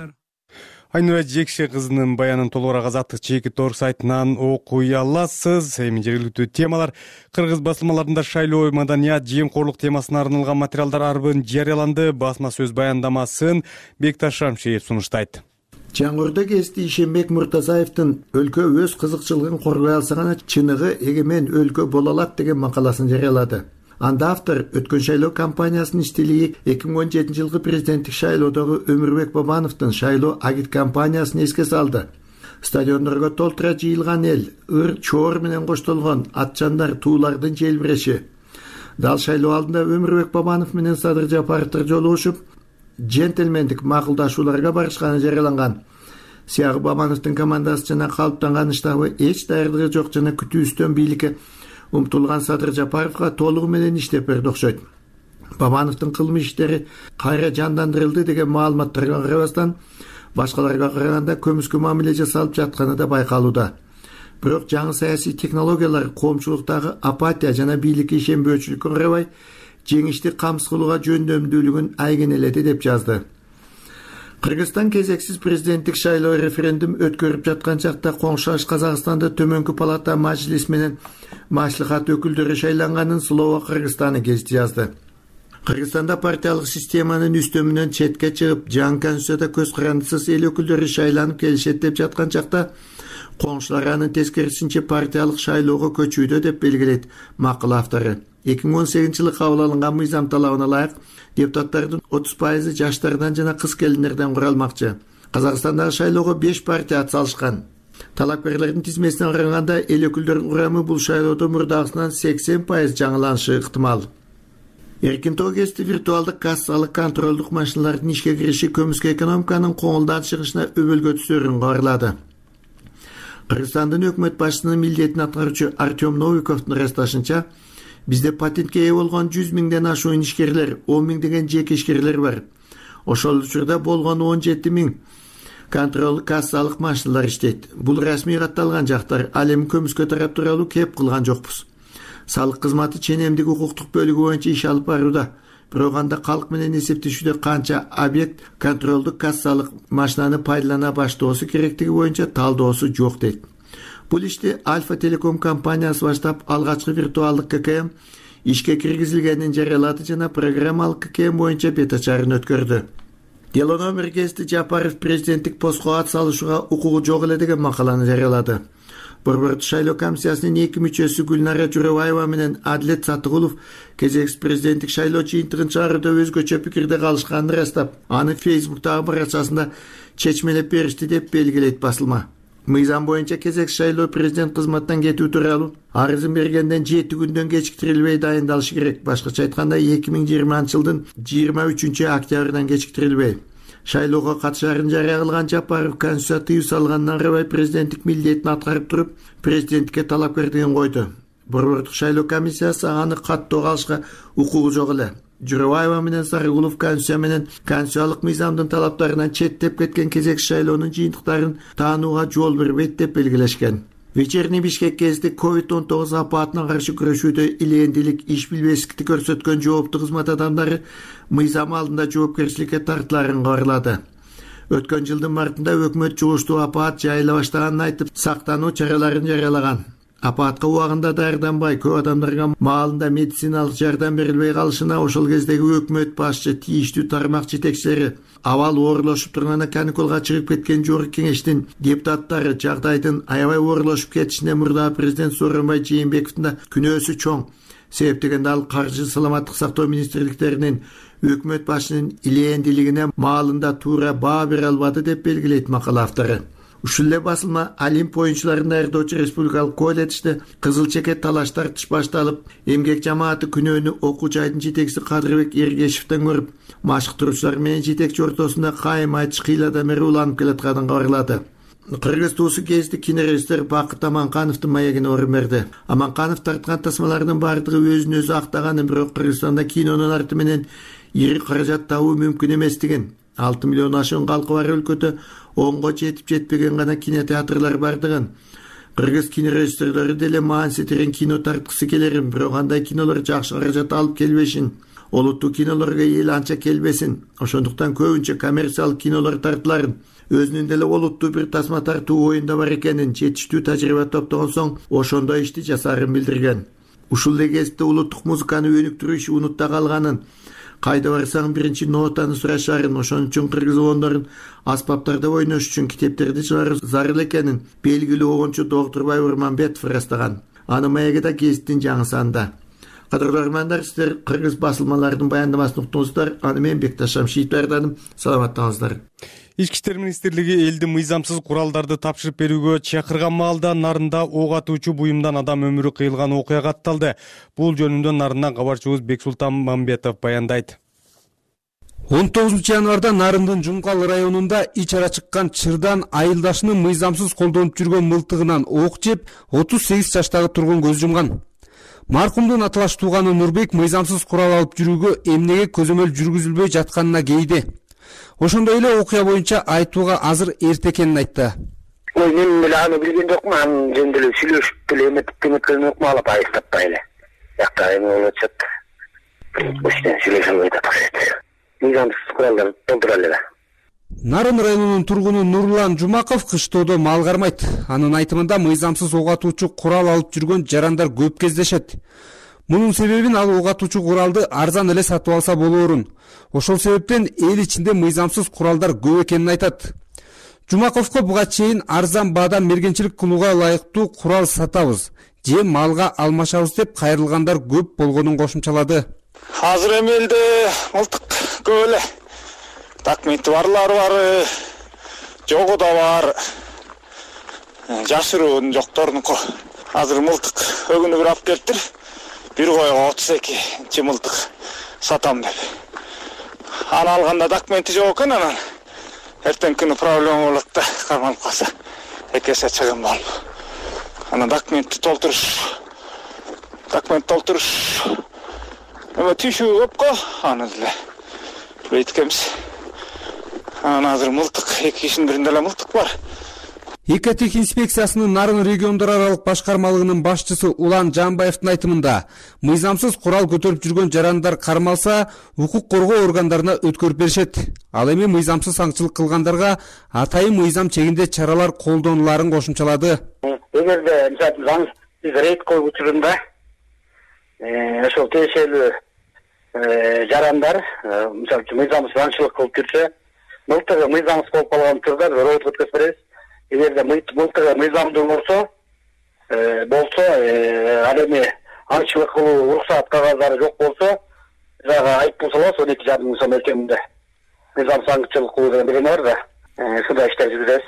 Speaker 1: Айнура Жекше кызынын баянын толугураак Азаттык чеки тор сайтынан окуй аласыз. Эми жергиликтүү темалар. Кыргыз басылмаларында шайлоо, маданият, жемкорлук темасына арналган материалдар арбын жарыяланды. Басма сөз баяндамасын Бекташ Шамшиев сунуштайт.
Speaker 24: Жаңгырда кести Ишенбек Муртазаевдин өлкө өз кызыкчылыгын коргой алса гана чыныгы эгемен өлкө боло алат деген макаласын жарыялады. Анда автор өткөн шайлоо кампаниясынын иштелиги 2017 жылкы президенттик шайлоодогу Өмүрбек Бабановдун шайлоо агит кампаниясын эске салды. Стадиондорго толтура жыйылган эл, ыр чоор менен коштолгон атчандар, туулардын желбиреши. Дал шайлоо алдында Өмүрбек Бабанов менен Садыр Жапаровдор жолугушуп, джентльмендик макулдашууларга барышканы жарыяланган. Сиягы Бабановдун командасы жана калыптанган штабы эч даярдыгы жок жана күтүүбүздөн бийликке умтулган Садыр Жапаровго толугу менен иштеп берди окшойт. Бабановдун кылмыш иштери кайра жандандырылды деген маалыматтарга карабастан, башкаларга караганда көмүскө мамиле жасалып жатканы да байкалууда. Бирок жаңы саясий технологиялар коомчулуктагы апатия жана бийликке ишенбөөчүлүккө карабай, жеңишти камсыз кылууга жөндөмдүүлүгүн айгинеледи деп жазды. Кыргызстан кезексиз президенттик шайлоо референдум өткөрүп жаткан чакта коңшулаш Казакстанда төмөнкү палата Majlis менен маслихат өкүлдөрү шайланганын Слово Кыргызстаны гезити жазды. Кыргызстанда партиялык системанын үстөмүнөн четке чыгып, жаңы конституцияда көз карандысыз эл өкүлдөрү шайланып келишет деп жаткан чакта, коңшулар анын тескерисинче партиялык шайлоого көчүүдө деп белгилейт макала автору. 2018 жылы кабыл алынган мыйзам талабына ылайык депутаттардын 30% жаштардан жана кыз келиндерден куралмакчы. Казакстандагы шайлоого 5 партия ат салышкан. Талапкерлердин тизмесине караганда эл өкүлдөрүнүн курамы бул шайлоодо мурдагысынан 80% жаңыланышы ыктымал. Эркин Тогести виртуалдык кассалык контролдук машиналардын ишке кириши көмүскө экономиканын коңулдан чыгышына өбөлгө түсөрүн кабарлады. Кыргызстандын өкмөт башчысынын милдетин аткаруучу Артем Новиковдун ырасташынча, бизде патентке ээ болгон 100 миңден ашуун ишкерлер, 10 миңдеген жеке ишкерлер бар. Ошол учурда болгон 17 миң контролдук кассалык машиналар иштейт. Бул расмий катталган жактар, ал эми көмүскө тарап тууралуу кеп кылган жокпуз. Салык кызматы ченемдик укуктук бөлүгү боюнча иш алып барууда. Бирок анда калк менен эсептешүүдө канча объект контролдук кассалык машинаны пайдалана баштоосу керектиги боюнча талдоосу жок дейт. Бул ишти Альфа Телеком компаниясы баштап, алгачкы виртуалдык ККМ ишке киргизилгенин жарыялады жана программалык ККМ боюнча бет ачарын өткөрдү. Дело номер Гести Жапаров президенттик постко ат салышууга укугу жок эле деген макаланы жарыялады. Борбордук шайлоо комиссиясынын 2 мүчөсү Гүлнара Журабаева менен Адилет Сатыгулов кезексиз президенттик шайлоо жыйынтыгын чыгарууда өзгөчө пикирде калышканын ырастап, аны Фейсбуктагы баракчасында чечмелеп беришти деп белгилейт басылма. Мыйзам боюнча кезексиз шайлоо президент кызматтан кетүү тууралуу арызын бергенден 7 күндөн кечиктирилбей дайындалышы керек. Башкача айтканда 2020 жылдын 23 октябрдан кечиктирилбей. Шайлоого катышаарын жарыя кылган Жапаров конституция тыюу салгандан карабай президенттик милдетин аткарып туруп, президенттикке талапкерлигин койду. Борбордук шайлоо комиссиясы аны каттоо калышка укугу жок эле. Журабаева менен Сарыгулов конституция менен конституциялык мыйзамдын талаптарынан четтеп кеткен кезексиз шайлоонун жыйынтыктарын таанууга жол бербейт деп белгилешкен. Вечерний Бишкек гезити COVID-19 апаатына каршы күрөшүүдө илээндилик, иш билбестикти көрсөткөн жооптуу кызмат адамдары мыйзам алдында жоопкерчиликке тартыларын кабарлады. Өткөн жылдын мартында өкмөт жугуштуу апаат жайыла баштаганын айтып, сактануу чараларын жарыялаган. Апаатка убагында даярданбай, көп адамдарга маалында медициналык жардам берилбей калышына ошол кездеги өкмөт башчы, тийиштүү тармак жетекчилери, абал оорлошуп турганда каникулга чыгып кеткен жогорку кеңештин депутаттары жагдайдын аябай оорлошуп кетишине мурдагы президент Сооронбай Жээнбековдун да күнөөсү чоң. Себеп дегенде ал каржы, саламаттык сактоо министрликтеринин өкмөт башчынын илээндилигине маалында туура баа бере албады деп белгилейт макала автору. Ушул эле басылма Олимп оюнчуларын даярдоочу республикалык колледжде кызыл чекет талаш тартыш башталып, эмгек жамааты күнөөнү окуу жайдын жетекчиси Кадырбек Эргешевден көрүп, машыктыруучулар менен жетекчи ортосунда кайым айтыш кыйладан бери уланып келатканын кабарлады. Кыргыз туусу гезити кинорежиссер Бакыт Аманкановдун маегине орун берди. Аманканов тарткан тасмалардын бардыгы өзүн өзү актаганы, бирок Кыргызстанда кинонун арты менен ири каражат табуу мүмкүн эместигин, 6 миллион ашуун калкы бар өлкөдө онго жетип жетпеген гана кинотеатрлар бардыгын, кыргыз кинорежиссерлери деле маансетирен кино тарткысы келерин, бирок андай кинолор жакшы каражат алып келбешин, олуттуу кинолорго эл анча келбесин, ошондуктан көбүнчө коммерциялык кинолор тартыларын, өзүнүн деле олуттуу бир тасма тартуу оюнда бар экенин, жетиштүү тажрыйба топтогон соң ошондой ишти жасаарын билдирген. Ушул эле кезде улуттук музыканы өнүктүрүү иши унутта калганын, кайда барсаң биринчи нотаны сурашарын, ошон үчүн кыргыз оондорун аспаптарда ойнош үчүн китептерди чыгаруу зарыл экенин белгилүү оончу доктур Байбурманбетов ырастаган. Анын маеги да гезиттин жаңы санында. Кадырлуу армандар, сиздер кыргыз басылмаларынын баяндамасын уктуңуздар. Аны мен Бекташ Шамшиев даярдадым. Саламаттаңыздар.
Speaker 1: Ички иштер министрлиги элди мыйзамсыз куралдарды тапшырып берүүгө чакырган маалда Нарында ок атуучу буюмдан адам өмүрү кыйылган окуя катталды. Бул жөнүндө Нарындан кабарчыбыз Бексултан Мамбетов баяндайт.
Speaker 9: 19 январда Нарындын Жумкал районунда ич ара чыккан чырдан айылдашынын мыйзамсыз колдонуп жүргөн мылтыгынан ок жеп 38 жаштагы тургун көз жумган. Маркумдун аталаш тууганы Нурбек мыйзамсыз курал алып жүрүүгө эмнеге көзөмөл жүргүзүлбөй жатканына кейди. Ошондой эле окуя боюнча айтууга азыр эрте экенин айтты.
Speaker 11: Мен деле аны билген жокмун, анын жөнүндө эле сүйлөшүп деле эметкен жокмун, алып айыстаппай эле. Жакта эме болуп атышат. Ошондон сүйлөшө албай атат. Мыйзамсыз куралдар толтура эле.
Speaker 9: Нарын районунун тургуну Нурлан Жумаков кыштоодо мал кармайт. Анын айтымында мыйзамсыз ок атуучу курал алып жүргөн жарандар көп кездешет. Мунун себебин ал ок атуучу куралды арзан эле сатып алса болоорун. Ошол себептен эл ичинде мыйзамсыз куралдар көп экенин айтат. Жумаковго буга чейин арзан баадан мергенчилик кылууга ылайыктуу курал сатабыз же малга алмашабыз деп кайрылгандар көп болгонун кошумчалады.
Speaker 12: Азыр эми элде мылтык көп эле. Документи барлары бар, жогу да бар. Жашыруунун жокторунуку. Азыр мылтык өгүнү бир алып келиптир. Бир койго 32 мылтык сатам деп. Аны алганда документи жок экен, анан эртең күнү проблема болот да, кармалып калса. Экесе чыгым болуп. Анан документ толтуруш. Эме түшүү көпкө, аны деле бейткемиз. Анан азыр мылтык, эки кишинин биринде эле мылтык бар.
Speaker 9: Экотех инспекциясынын Нарын региондор аралык башкармалыгынын башчысы Улан Жамбаевдин айтымында, мыйзамсыз курал көтөрүп жүргөн жарандар кармалса, укук коргоо органдарына өткөрүп беришет. Ал эми мыйзамсыз аңчылык кылгандарга атайын мыйзам чегинде чаралар колдонуларын кошумчалады.
Speaker 11: Эгерде мисалы биз рейд коюу учурунда ошол тиешелүү жарандар мисалы мыйзамсыз аңчылык кылып жүрсө, мылтыгы мыйзамсыз болуп калган учурда рейд өткөзүп беребиз. Эгерде мылтыгы мыйзамдуу болсо, ал эми аңчылык кылуу уруксат кагаздары жок болсо, жага айыппул салабыз 12,5 миң сом өлчөмүндө. Мыйзамсыз аңчылык кылуу деген биреме бар да, ушундай иштер жүргүзөбүз.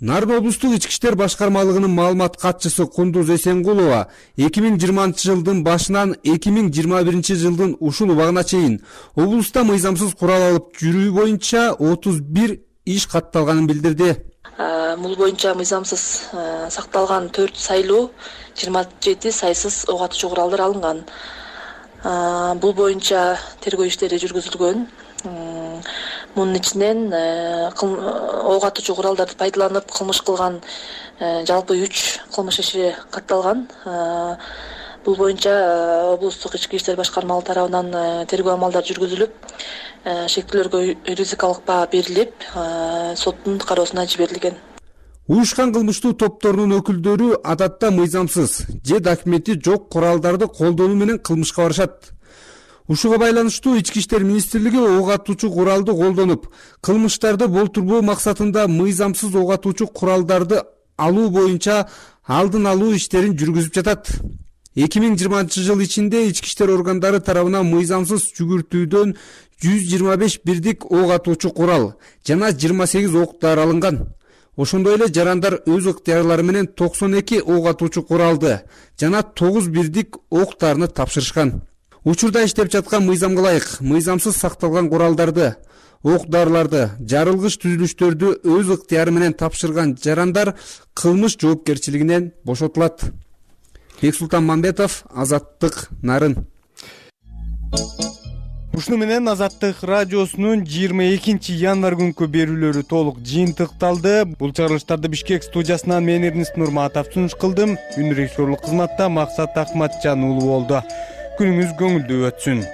Speaker 9: Нарын облустук ички иштер башкармалыгынын маалымат катчысы Кундуз Эсенгулова 2020-жылдын башынан 2021 жылдын ушул убагына чейин облуста мыйзамсыз курал алып жүрүү боюнча 31 иш катталганын билдирди.
Speaker 13: Бул боюнча мыйзамсыз сакталган 4 сайлуу, 27 сайсыз ок атуучу куралдар алынган. Бул боюнча тергөө иштери жүргүзүлгөн. Мунун ичинен ок атуучу куралдарды пайдаланып кылмыш кылган жалпы 3 кылмыш иши катталган. Бул боюнча облустук ички иштер башкармалыгы тарабынан тергөө амалдары жүргүзүлүп, шектүүлөргө юридикалык баа берилип, соттун кароосуна жиберилген.
Speaker 9: Уюшкан кылмыштуу топторунун өкүлдөрү адатта мыйзамсыз же документи жок куралдарды колдонуу менен кылмышка барышат. Ушуга байланыштуу ички иштер министрлиги ок атуучу куралды колдонуп, кылмыштарды болтурбоо максатында мыйзамсыз ок атуучу куралдарды алуу боюнча алдын алуу иштерин жүргүзүп жатат. 2020 жыл ичинде ички иштер органдары тарабынан мыйзамсыз жүгүртүүдөн 125 бирдик ок атуучу курал жана 28 ок дары алынган. Ошондой эле жарандар өз ыктыярлары менен 92 ок атуучу куралды жана 9 бирдик ок дарыны тапшырышкан. Учурда иштеп жаткан мыйзамга ылайык мыйзамсыз сакталган куралдарды, ок дарыларды, жарылгыч түзүлүштөрдү өз ыктыяры менен тапшырган жарандар кылмыш жоопкерчилигинен бошотулат. Бексултан Мамбетов, Азаттык, Нарын.
Speaker 1: Ушуну менен Азаттык радиосунун 22 январь күнкү берүүлөрү толук жыйынтыкталды. Бул чыгарылыштарды Бишкек студиясынан мен Эрнест Нурматов сунуш кылдым. Үн режиссерлук кызматта Максат Акматжан уулу болду. Күнүңүз көңүлдүү өтсүн.